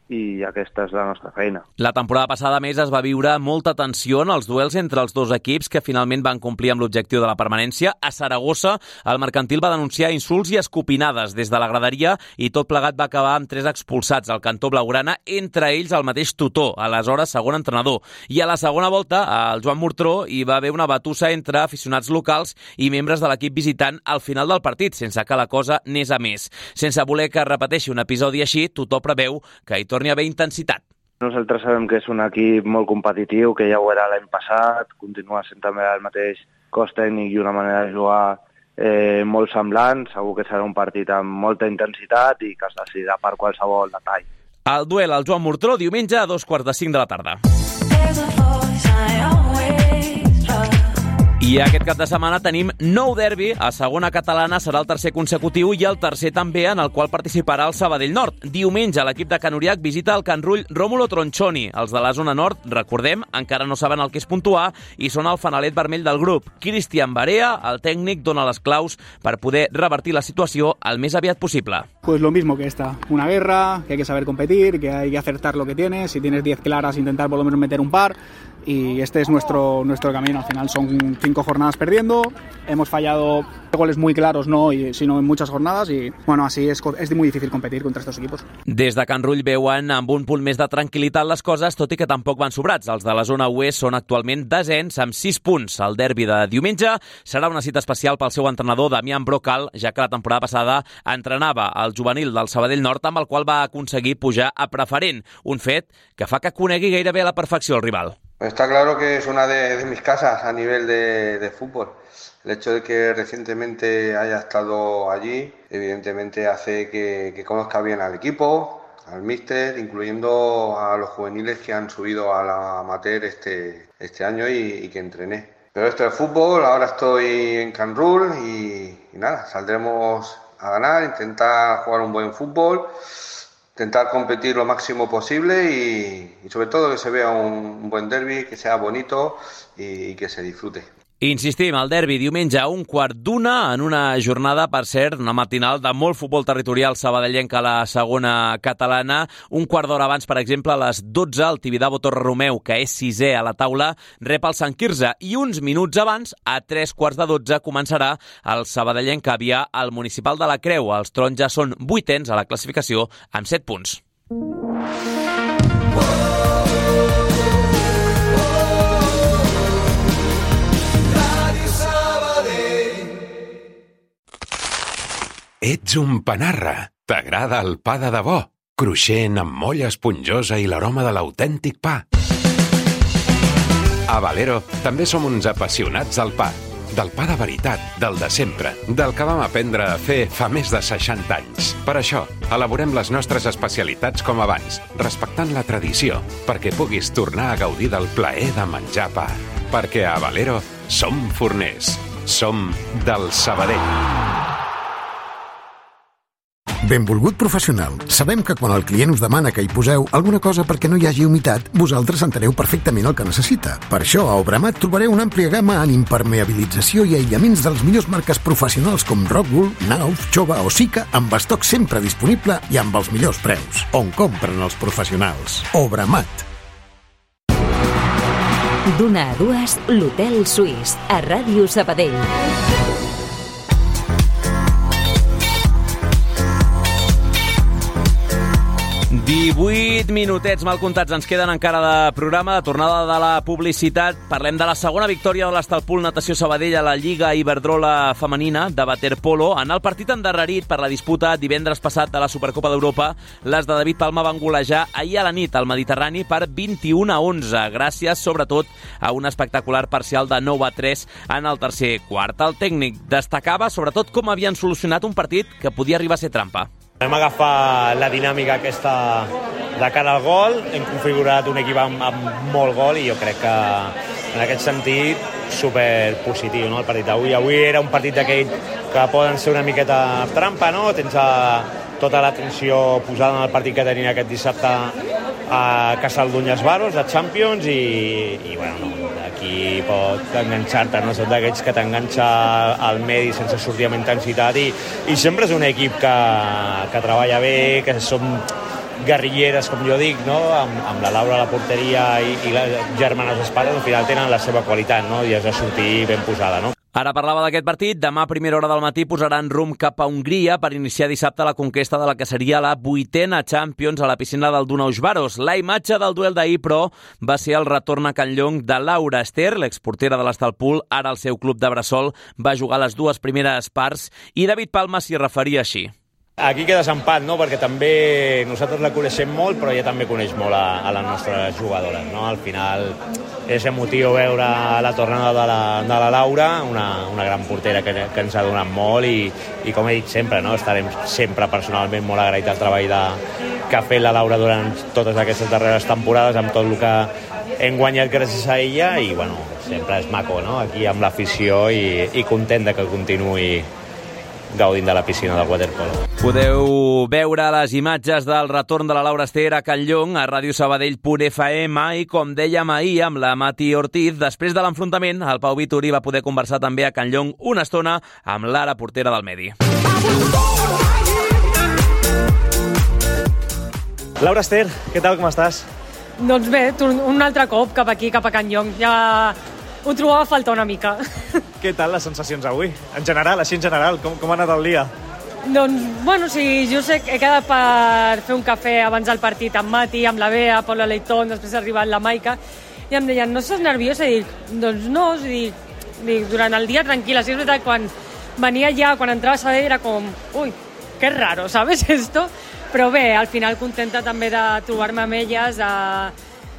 i aquesta és la nostra feina. La temporada passada, a més, es va viure molta tensió en els duels entre els dos equips que finalment van complir amb l'objectiu de la permanència. A Saragossa, el Mercantil va denunciar insults i escopinades des de la graderia i tot plegat va acabar amb 3 expulsats al cantó blaugrana, entre ells el mateix tutor, aleshores segon entrenador. I a la segona volta, al Joan Mortró, hi va haver una batussa entre aficionats locals i membres de l'equip visitant al final del partit, sense que la cosa anés a més. Sense voler que repeteixi un episodi així, Tutó preveu que hi torni a haver intensitat. Nosaltres sabem que és un equip molt competitiu, que ja ho era l'any passat, continua sent també el mateix cos tècnic i una manera de jugar molt semblant. Segur que serà un partit amb molta intensitat i que es decidirà per qualsevol detall. El duel al Joan Mortró, diumenge a 4:45 de la tarda. I aquest cap de setmana tenim nou derbi. A segona catalana serà el tercer consecutiu i el tercer també, en el qual participarà el Sabadell Nord. Diumenge l'equip de Can Uriach visita el Can Rull Rómulo Tronchoni. Els de la zona nord, recordem, encara no saben el que és puntuar i són el fanalet vermell del grup. Cristian Barea, el tècnic, dona les claus per poder revertir la situació el més aviat possible. Pues lo mismo que esta, una guerra, que hay que saber competir, que hay que acertar lo que tienes, si tienes 10 claras intentar por lo menos meter un par, y este es nuestro camino. Al final son 5 jornadas perdiendo, hemos fallado goles muy claros, no, sino en muchas jornadas, y bueno, así es muy difícil competir contra estos equipos. Des de Can Rull veuen amb un punt més de tranquil·litat les coses, tot i que tampoc van sobrats. Els de la zona oest són actualment desens amb 6 punts. El derbi de diumenge serà una cita especial pel seu entrenador Damián Brocal, ja que la temporada passada entrenava el juvenil del Sabadell Nord, amb el qual va aconseguir pujar a preferent, un fet que fa que conegui gairebé a la perfecció el rival. Está claro que es una de mis casas a nivel de fútbol. El hecho de que recientemente haya estado allí, evidentemente hace que conozca bien al equipo, al míster, incluyendo a los juveniles que han subido a la amateur este año y que entrené. Pero esto es fútbol, ahora estoy en Can Rull y nada, saldremos a ganar, intentar jugar un buen fútbol, intentar competir lo máximo posible y sobre todo que se vea un buen derbi, que sea bonito y que se disfrute. Insistim, el derbi diumenge a 1:15 en una jornada, per cert, una matinal de molt futbol territorial sabadellenc a la segona catalana. Un quart d'hora abans, per exemple, a les 12, el Tibidabo Torre Romeu, que és 6è a la taula, rep el Sant Quirze. I uns minuts abans, a 3:15, començarà el sabadellenc Avià al Municipal de la Creu. Els taronges són 8ens a la classificació amb 7 punts. Ets un panarra. T'agrada el pa de debò? Cruixent, amb molla esponjosa i l'aroma de l'autèntic pa. A Valero també som uns apassionats del pa. Del pa de veritat, del de sempre, del que vam aprendre a fer fa més de 60 anys. Per això, elaborem les nostres especialitats com abans, respectant la tradició, perquè puguis tornar a gaudir del plaer de menjar pa. Perquè a Valero som forners. Som del Sabadell. Benvolgut professional, sabem que quan el client us demana que hi poseu alguna cosa perquè no hi hagi humitat, vosaltres enteneu perfectament el que necessita. Per això, a Obramat trobareu una àmplia gamma en impermeabilització i aïllaments de les millors marques professionals com Rockwool, Nauf, Chova o Sika, amb estoc sempre disponible i amb els millors preus. On compren els professionals? Obramat. D'una a dues, l'Hotel Suís, a Ràdio Sabadell. 18 minutets mal comptats ens queden encara de programa, de tornada de la publicitat. Parlem de la segona victòria de l'Estalpul Natació Sabadell a la Lliga Iberdrola Femenina de waterpolo. En el partit endarrerit per la disputa divendres passat de la Supercopa d'Europa, les de David Palma van golejar ahir a la nit al Mediterrani per 21-11, gràcies sobretot a un espectacular parcial de 9-3 en el tercer quart. El tècnic destacava sobretot com havien solucionat un partit que podia arribar a ser trampa. Hem agafat la dinàmica aquesta de cara al gol, hem configurat un equip amb molt gol i jo crec que en aquest sentit superpositiu, no, el partit d'avui. Avui era un partit d'aquell que poden ser una miqueta trampa, no? Tens tota l'atenció posada en el partit que tenia aquest dissabte a Casaldunyes Baros, de Champions, i bueno, aquí pot enganxar-te, no? Són d'aquests que t'enganxa al medi sense sortir amb intensitat, i sempre és un equip que treballa bé, que som guerrilleres, com jo dic, no? Amb la Laura a la porteria i les germanes Espares, al final tenen la seva qualitat, no? I has de sortir ben posada, no? Ara parlava d'aquest partit. Demà a primera hora del matí posaran rumb cap a Hongria per iniciar dissabte la conquesta de la que seria la 8a Champions a la piscina del Dunaus Baros. La imatge del duel d'ahir, però, va ser el retorn a Can Llong de Laura Ester, l'exportera de l'Estalpul. Ara el seu club de Bressol va jugar les dues primeres parts i David Palma s'hi referia així. Aquí queda desempat, no? Perquè també nosaltres la coneixem molt, però ella també coneix molt a les nostres jugadores, no? Al final és emotiu veure la tornada de la Laura, una gran portera que ens ha donat molt, i com he dit sempre, no? Estarem sempre personalment molt agraïts al treball que ha fet la Laura durant totes aquestes darreres temporades, amb tot el que hem guanyat gràcies a ella, i bueno, sempre és maco, no? Aquí amb l'afició, i content de que continuï gaudint de la piscina del waterpolo. Podeu veure les imatges del retorn de la Laura Ester a Can Llong a radiosabadell.fm, i com dèiem ahir amb la Mati Ortiz, després de l'enfrontament, el Pau Vituri va poder conversar també a Can Llong una estona amb l'ara portera del Medi. Laura Ester, què tal, com estàs? Doncs bé, un altre cop cap aquí, cap a Can Llong. Ja ho trobava a faltar una mica. Què tal les sensacions avui? En general, com ha anat el dia? Doncs, bueno, sí, jo sé que he quedat per fer un cafè abans del partit amb Mati, amb la Bea, Paula Leitón, després ha arribat la Maica, i em deien, no estàs nerviosa? I dic, doncs no, dic, durant el dia tranquil·la. Sí, és veritat, quan venia ja, quan entrava a Sabadell era com, ui, que raro, ¿sabes esto? Però bé, al final contenta també de trobar-me amb elles,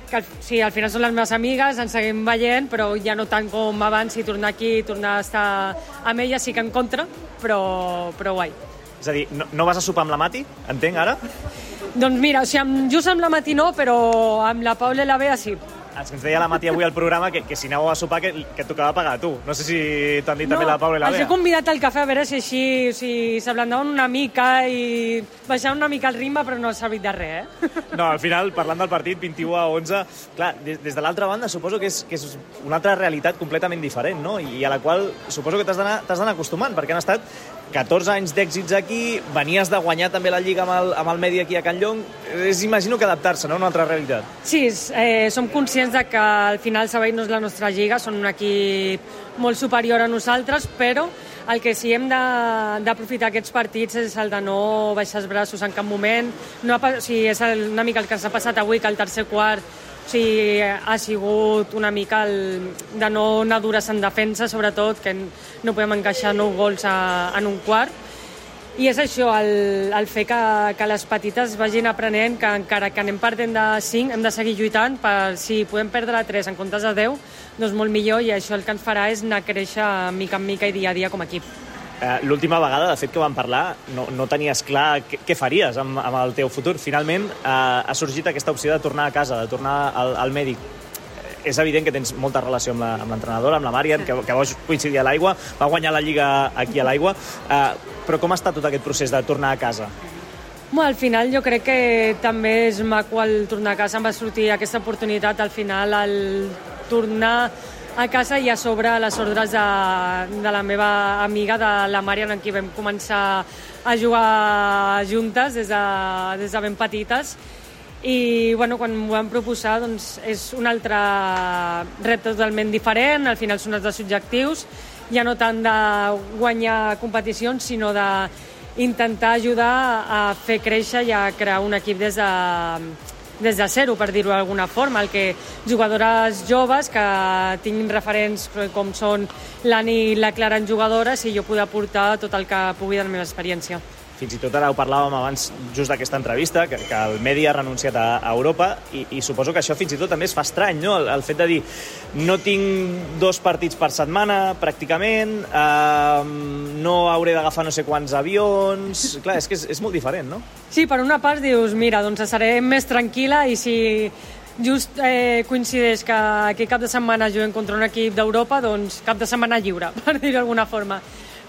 que sí, al final són les meves amigues, ens seguim veient, però ja no tant com abans, i tornar aquí, tornar a estar amb elles, sí que en contra, però guai. És a dir, no vas a sopar amb la Mati, entenc, ara? Doncs mira, o sigui, just amb la Mati no, però amb la Paula i la Bea sí. Ens deia la Mati avui al programa que si aneu a sopar que tocava pagar a tu. No sé si t'han dit també la Paula i la Bea. Els he convidat al cafè a veure si així s'ablandaven una mica i baixaven una mica el ritme, però no ha servit de res, No, al final, parlant del partit, 21-11, clar, des de l'altra banda suposo que és una altra realitat completament diferent, no? I a la qual suposo que t'has d'anar acostumant, perquè han estat 14 anys d'èxits aquí, venies de guanyar també la Lliga amb el Medi aquí a Can Llong. Imagino que adaptar-se, no?, a una altra realitat. Sí, som conscients de que al final Sabadell no és la nostra lliga, són un equip molt superior a nosaltres, però el que sí hem d'aprofitar aquests partits és el de no baixar els braços en cap moment. És una mica el que s'ha passat avui, que el tercer quart ha sigut una mica de no anar dures en defensa, sobretot, que no podem encaixar 9 gols en un quart. I és això, el fer que les petites vagin aprenent que encara que anem perdent de 5, hem de seguir lluitant per si podem perdre 3 en comptes de 10, doncs molt millor, i això el que ens farà és anar a créixer mica en mica i dia a dia com a equip. L'última vegada, de fet, que vam parlar, no tenies clar què faries amb el teu futur. Finalment ha sorgit aquesta opció de tornar a casa, de tornar al mèdic. És evident que tens molta relació amb l'entrenadora, amb la Marian, que vau coincidir a l'Aigua, va guanyar la Lliga aquí a l'Aigua, però com ha estat tot aquest procés de tornar a casa? Al final jo crec que també és maco el tornar a casa. Em va sortir aquesta oportunitat al final, el tornar a casa, i a sobre les ordres de la meva amiga, de la Marian, amb qui vam començar a jugar juntes des de ben petites. I quan m'ho van proposar, doncs és un altre repte totalment diferent. Al final són els objectius, ja no tant de guanyar competicions, sinó d'intentar ajudar a fer créixer i a crear un equip des de zero, per dir-ho d'alguna forma, el que jugadores joves que tinguin referents com són l'Ani i la Clara en jugadores, i jo poder aportar tot el que pugui de la meva experiència. Fins i tot ara ho parlàvem abans just d'aquesta entrevista, que el Medi ha renunciat a Europa, i suposo que això fins i tot també es fa estrany, no? El fet de dir, no tinc 2 partits per setmana, pràcticament, no hauré d'agafar no sé quants avions. Clar, és que és molt diferent, no? Sí, per una part dius, mira, doncs estaré més tranquil·la, i si just coincideix que aquest cap de setmana juguem contra un equip d'Europa, doncs cap de setmana lliure, per dir-ho d'alguna forma.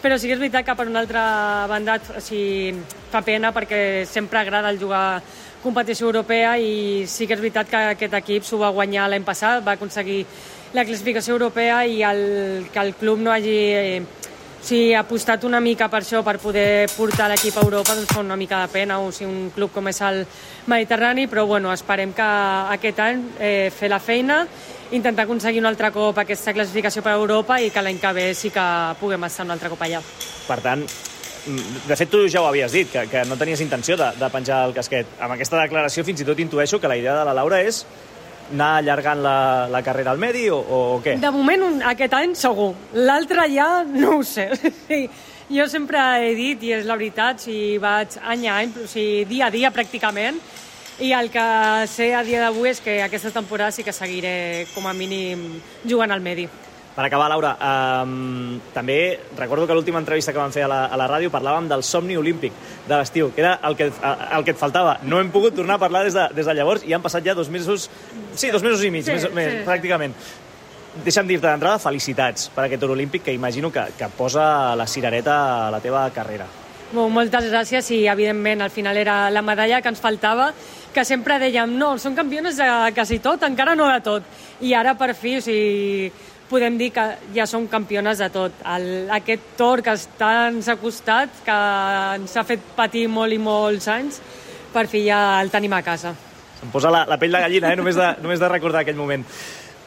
però sí que és veritat que per una altra banda fa pena perquè sempre agrada el jugar competició europea i sí que és veritat que aquest equip s'ho va guanyar l'any passat, va aconseguir la classificació europea i que el club no hagi apostat una mica per això, per poder portar l'equip a Europa, doncs fa una mica de pena, un club com és el Mediterrani, però bueno, esperem que aquest any fer la feina, intentar aconseguir un altre cop aquesta classificació per a Europa i que l'any que ve sí que puguem estar un altre cop allà. Per tant, de fet, tu ja ho havies dit, que no tenies intenció de penjar el casquet. Amb aquesta declaració fins i tot intueixo que la idea de la Laura és anar allargant la carrera al Medi o què? De moment, aquest any segur. L'altre ja no ho sé. Jo sempre he dit, i és la veritat, vaig any a any, dia a dia pràcticament, i el que sé a dia d'avui és que aquesta temporada sí que seguiré com a mínim jugant al Medi. Per acabar, Laura, també recordo que l'última entrevista que vam fer a la ràdio parlàvem del somni olímpic de l'estiu, que era el que et faltava. No hem pogut tornar a parlar des de llavors i han passat ja 2 mesos, 2 mesos i mig, més, pràcticament. Deixa'm dir-te d'entrada felicitats per aquest or olímpic que imagino que posa la cirereta a la teva carrera. Moltes gràcies i, evidentment, al final era la medalla que ens faltava, que sempre dèiem, no, som campiones de quasi tot, encara no de tot. I ara, per fi, podem dir que ja som campiones de tot. Aquest Tor que tant ens ha costat, que ens ha fet patir molt i molts anys, per fi ja el tenim a casa. Em posa la pell de gallina, només de recordar aquell moment.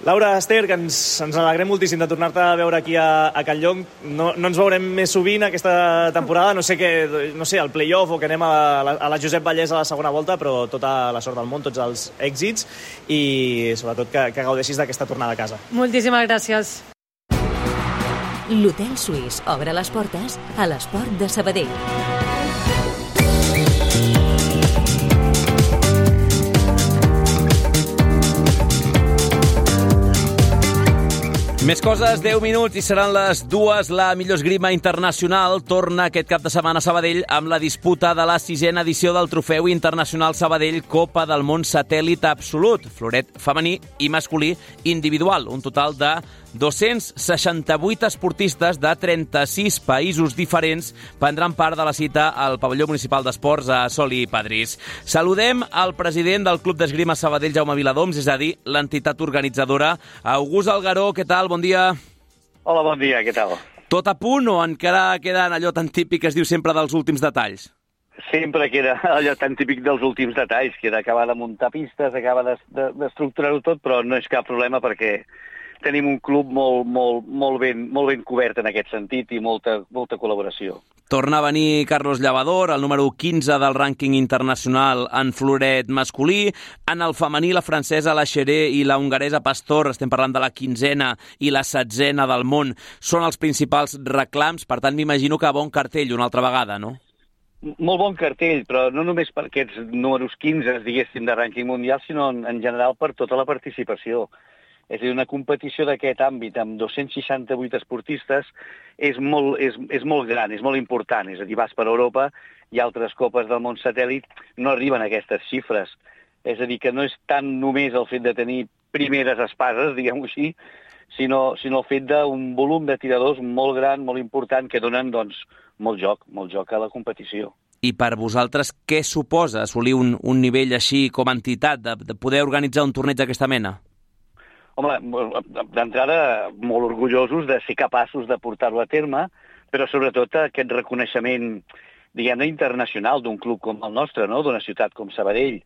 Laura, Esther, que ens alegrem moltíssim de tornar-te a veure aquí a Campllong. No ens veurem més sovint aquesta temporada, no sé, el play-off o que anem a la Josep Vallès a la segona volta, però tota la sort del món, tots els èxits i sobretot que gaudeixis d'aquesta tornada a casa. Moltíssimes gràcies. L'Hotel Suís obre les portes a l'Esport de Sabadell. Més coses, 10 minuts i seran les 2. La millor esgrima internacional torna aquest cap de setmana a Sabadell amb la disputa de la 6a edició del Trofeu Internacional Sabadell Copa del Món Satèl·lit Absolut, floret femení i masculí individual. Un total de 268 esportistes de 36 països diferents prendran part de la cita al pavelló municipal d'esports a Sol i Padrís. Saludem al president del Club d'Esgrima Sabadell, Jaume Viladoms, és a dir, l'entitat organitzadora. August Algaró, què tal? Bon dia. Hola, bon dia, què tal? Tot a punt o encara queda allò tan típic que es diu sempre dels últims detalls? Sempre queda allò tan típic dels últims detalls, queda acabar de muntar pistes, acabar d'estructurar-ho tot, però no és cap problema perquè tenim un club molt ben cobert en aquest sentit i molta col·laboració. Torna a venir Carlos Llavador, el número 15 del rànquing internacional en floret masculí. En el femení, la francesa La Xeré i la hongaresa Pastor, estem parlant de la 15a i la 16a del món, són els principals reclams. Per tant, m'imagino que bon cartell una altra vegada, no? Molt bon cartell, però no només per aquests números 15, diguéssim, de rànquing mundial, sinó en general per tota la participació. És a dir, una competició d'aquest àmbit amb 268 esportistes és molt gran, és molt important. És a dir, vas per Europa i altres copes del món satèl·lit no arriben a aquestes xifres. És a dir, que no és tant només el fet de tenir primeres espases, diguem-ho així, sinó el fet d'un volum de tiradors molt gran, molt important, que donen molt joc a la competició. I per vosaltres, què suposa assolir un nivell així com a entitat, de poder organitzar un torneig d'aquesta mena? Home, d'entrada, molt orgullosos de ser capaços de portar-ho a terme, però sobretot aquest reconeixement, diguem-ne, internacional d'un club com el nostre, no? D'una ciutat com Sabadell,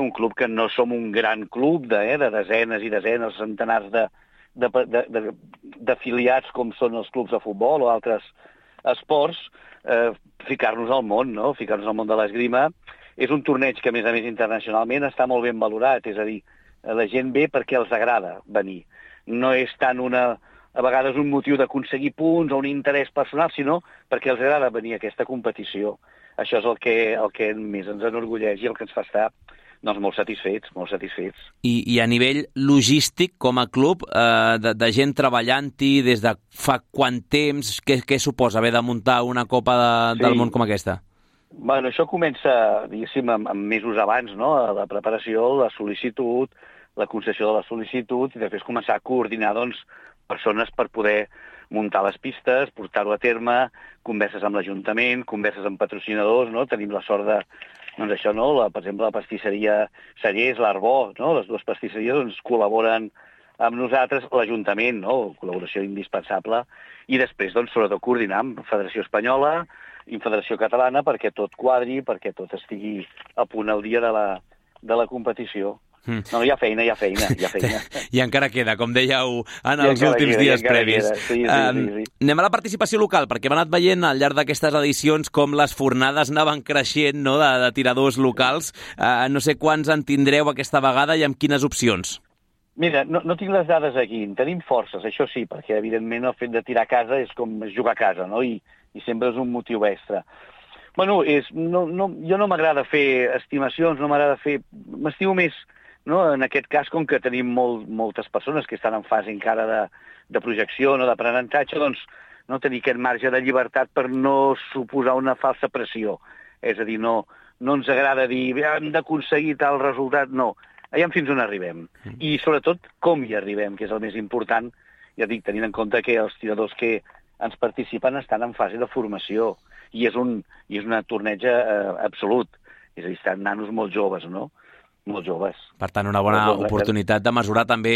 un club que no som un gran club de desenes i desenes, centenars d'afiliats com són els clubs de futbol o altres esports, ficar-nos al món, no? Ficar-nos al món de l'esgrima. És un torneig que, a més internacionalment, està molt ben valorat, és a dir, la gent ve perquè els agrada venir. No és tant a vegades un motiu d'aconseguir punts o un interès personal, sinó perquè els agrada venir a aquesta competició. Això és el que més ens enorgulleix i el que ens fa estar molt satisfets. I a nivell logístic, com a club, de gent treballant-hi des de fa quant temps, què suposa haver de muntar una Copa del Món com aquesta? Bueno, això comença, diguéssim, amb mesos abans, no? La preparació, la sol·licitud, la concessió de la sol·licitud i després començar a coordinar persones per poder muntar les pistes, portar-ho a terme, converses amb l'Ajuntament, converses amb patrocinadors, no? Tenim la sort de, doncs això, no? Per exemple, la pastisseria Cellers, l'Arbó, no? Les dues pastisseries doncs, col·laboren amb nosaltres, l'Ajuntament, no? Col·laboració indispensable, i després, doncs, sobretot coordinar amb Federació Espanyola i Federació Catalana perquè tot quadri, perquè tot estigui a punt al dia de la competició. No, hi ha feina. I encara queda, com dèieu en els últims dies previs. Sí. Anem a la participació local, perquè hem anat veient al llarg d'aquestes edicions com les fornades anaven creixent, no?, de tiradors locals. No sé quants en tindreu aquesta vegada i amb quines opcions. Mira, no tinc les dades aquí, en tenim forces, això sí, perquè evidentment el fet de tirar a casa és com jugar a casa, no? I sempre és un motiu extra. Bueno, jo no m'agrada fer estimacions, m'estimo més, no? En aquest cas, com que tenim moltes persones que estan en fase encara de projecció, no, d'aprenentatge, doncs no tenir aquest marge de llibertat per no suposar una falsa pressió. És a dir, no ens agrada dir hem d'aconseguir tal resultat, no. Allà fins on arribem. I sobretot com hi arribem, que és el més important, ja dic, tenint en compte que els tiradors que ens participen estan en fase de formació i és una torneja absolut. És a dir, estan nanos molt joves, no? Molt joves. Per tant, una bona oportunitat de mesurar també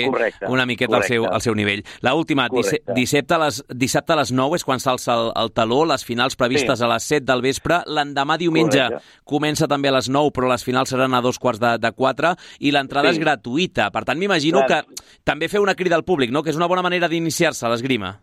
una miqueta el seu nivell. L'última, dissabte a les 9 és quan s'alça el taló, les finals previstes a les 7 del vespre. L'endemà diumenge comença també a les 9, però les finals seran a 3:45 i l'entrada és gratuïta. Per tant, m'imagino que també feu una crida al públic, no?, que és una bona manera d'iniciar-se a l'esgrima.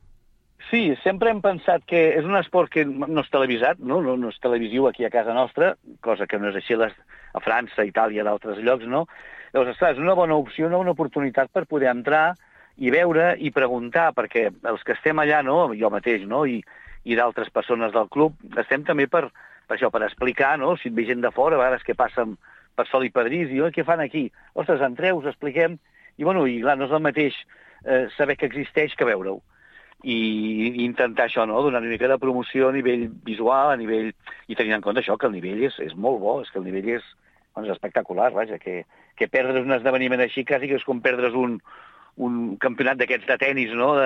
Sí, sempre hem pensat que és un esport que no és televisat, no és televisiu aquí a casa nostra, cosa que no és així a França, Itàlia, d'altres llocs, no? Llavors, esclar, és una bona opció, una oportunitat per poder entrar i veure i preguntar, perquè els que estem allà, no, jo mateix, no, i d'altres persones del club, estem també per això, per explicar, no, si et ve gent de fora, a vegades que passen per Sol i Pedrís, i què fan aquí? Ostres, entreu, us expliquem, i bueno, i clar, no és el mateix saber que existeix que veure-ho. I intentar això, no?, donar una mica de promoció a nivell visual, i tenint en compte això, que el nivell és molt bo, és que el nivell és espectacular, vaja, que perdre's un esdeveniment així quasi que és com perdre's un campionat d'aquests de tenis, no?,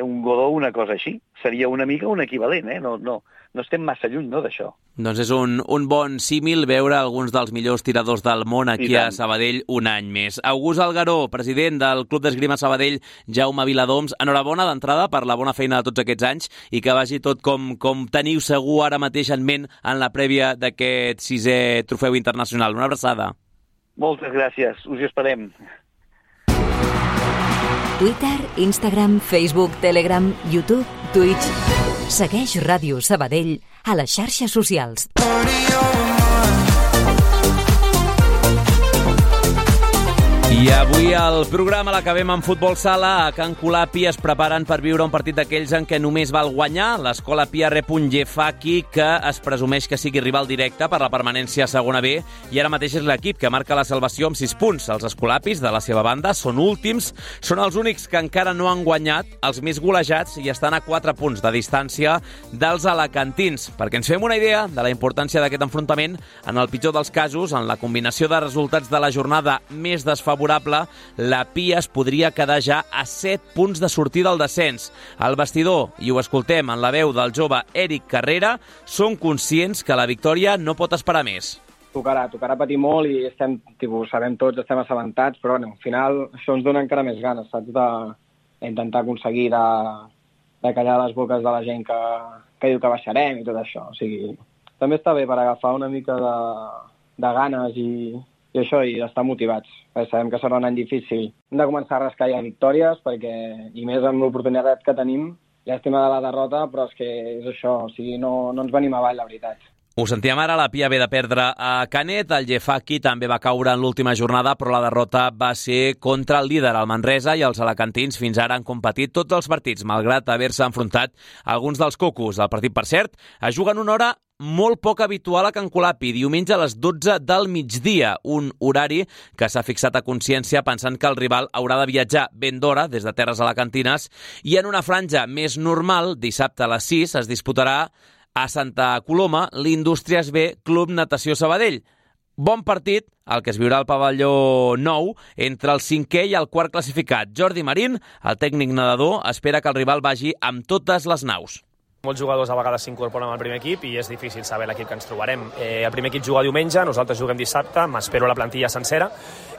un Godó, una cosa així. Seria una mica un equivalent, no estem massa lluny, no, d'això. Doncs és un bon símil veure alguns dels millors tiradors del món aquí a Sabadell un any més. August Algaró, president del Club d'Esgrima Sabadell, Jaume Viladoms, enhorabona d'entrada per la bona feina de tots aquests anys i que vagi tot com teniu segur ara mateix en ment en la prèvia d'aquest 6è trofeu internacional. Una abraçada. Moltes gràcies, us hi esperem. Twitter, Instagram, Facebook, Telegram, YouTube, Twitch. Segueix Ràdio Sabadell a les xarxes socials. I avui el programa l'acabem amb futbol sala. A Can Colapi es preparen per viure un partit d'aquells en què només val guanyar. L'escola Pia rep un Jefaki que es presumeix que sigui rival directe per la permanència a segona B i ara mateix és l'equip que marca la salvació amb 6 punts. Els escolapis, de la seva banda, són últims. Són els únics que encara no han guanyat, els més golejats, i estan a 4 punts de distància dels alacantins. Perquè ens fem una idea de la importància d'aquest enfrontament, en el pitjor dels casos, en la combinació de resultats de la jornada més desfavorable, la Pia es podria quedar ja a 7 punts de sortir del descens. Al vestidor, i ho escoltem en la veu del jove Eric Carrera, són conscients que la victòria no pot esperar més. Tocarà patir molt i sabem tots, estem assabentats, però al final això ens dona encara més ganes, saps, d'intentar aconseguir de callar les boques de la gent que diu que baixarem i tot això. O sigui, també està bé per agafar una mica de ganes i això, i estar motivats. Sabem que serà un any difícil. Hem de començar a rascar ja victòries, i més amb l'oportunitat que tenim, llàstima de la derrota, però és que és això, o sigui, no ens venim avall, la veritat. Ho sentíem ara, la Pia ve de perdre a Canet, el Jefaki també va caure en l'última jornada, però la derrota va ser contra el líder, el Manresa, i els alacantins fins ara han competit tots els partits, malgrat haver-se enfrontat a alguns dels cocos. El partit, per cert, es juga en una hora molt poc habitual a Can Colapi, diumenge a les 12 del migdia, un horari que s'ha fixat a consciència pensant que el rival haurà de viatjar ben d'hora des de terres alacantines, i en una franja més normal, dissabte a les 6, es disputarà a Santa Coloma l'Indústries B Club Natació Sabadell. bon partit el que es viurà al pavelló 9 entre el 5è i el 4è classificat. Jordi Marín, el tècnic nedador, espera que el rival vagi amb totes les naus. Molts jugadors a vegades s'incorporen al primer equip i és difícil saber l'equip que ens trobarem. El primer equip juga diumenge, nosaltres juguem dissabte, m'espero la plantilla sencera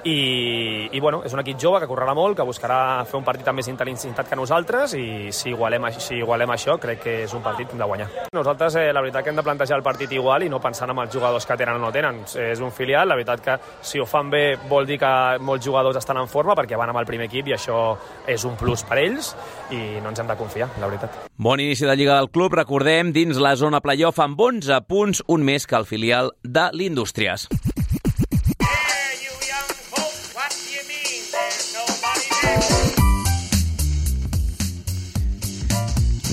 i bueno, és un equip jove que correrà molt, que buscarà fer un partit amb més intensitat que nosaltres i si igualem això crec que és un partit que hem de guanyar. Nosaltres la veritat que hem de plantejar el partit igual i no pensant en els jugadors que tenen o no tenen. És un filial, la veritat que si ho fan bé vol dir que molts jugadors estan en forma perquè van amb el primer equip i això és un plus per ells i no ens hem de confiar, la veritat. Bon inici de Lliga del club, recordem, dins la zona playoff amb 11 punts, un més que el filial de l'Indústries.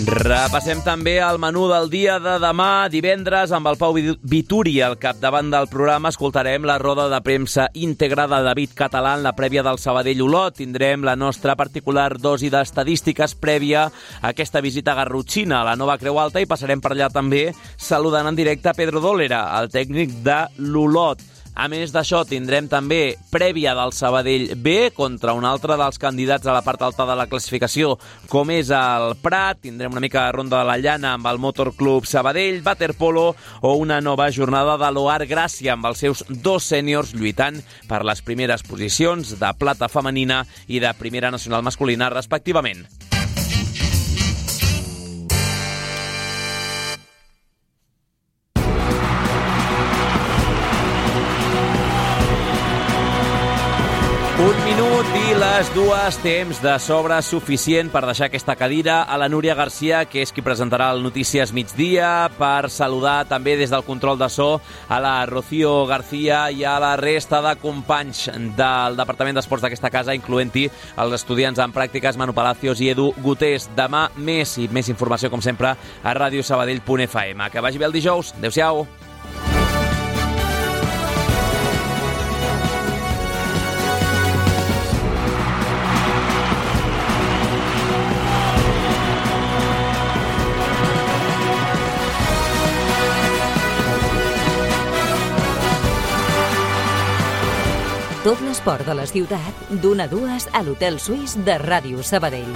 Repassem també el menú del dia de demà, divendres, amb el Pau Vituri al capdavant del programa. Escoltarem la roda de premsa íntegra de David Català en la prèvia del Sabadell-Olot. Tindrem la nostra particular dosi d'estadístiques prèvia a aquesta visita garrotxina a la Nova Creu Alta i passarem per allà també saludant en directe a Pedro Dólera, el tècnic de l'Olot. A més d'això, tindrem també prèvia del Sabadell B contra un altre dels candidats a la part alta de la classificació, com és el Prat. Tindrem una mica de ronda de la llana amb el Motor Club Sabadell, waterpolo o una nova jornada de l'Oar Gràcia amb els seus 2 sèniors lluitant per les primeres posicions de plata femenina i de primera nacional masculina, respectivament. Un minut i les 2, temps de sobre suficient per deixar aquesta cadira a la Núria Garcia, que és qui presentarà el Notícies Migdia, per saludar també des del control de so a la Rocío García i a la resta de companys del Departament d'Esports d'aquesta casa, incloent-hi els estudiants en pràctiques Manu Palacios i Edu Gutés. Demà més i més informació, com sempre, a radiosabadell.fm. Que vagi bé el dijous. Adéu-siau. Tot l'esport de la ciutat, d'1 a 2 a l'Hotel Suís de Ràdio Sabadell.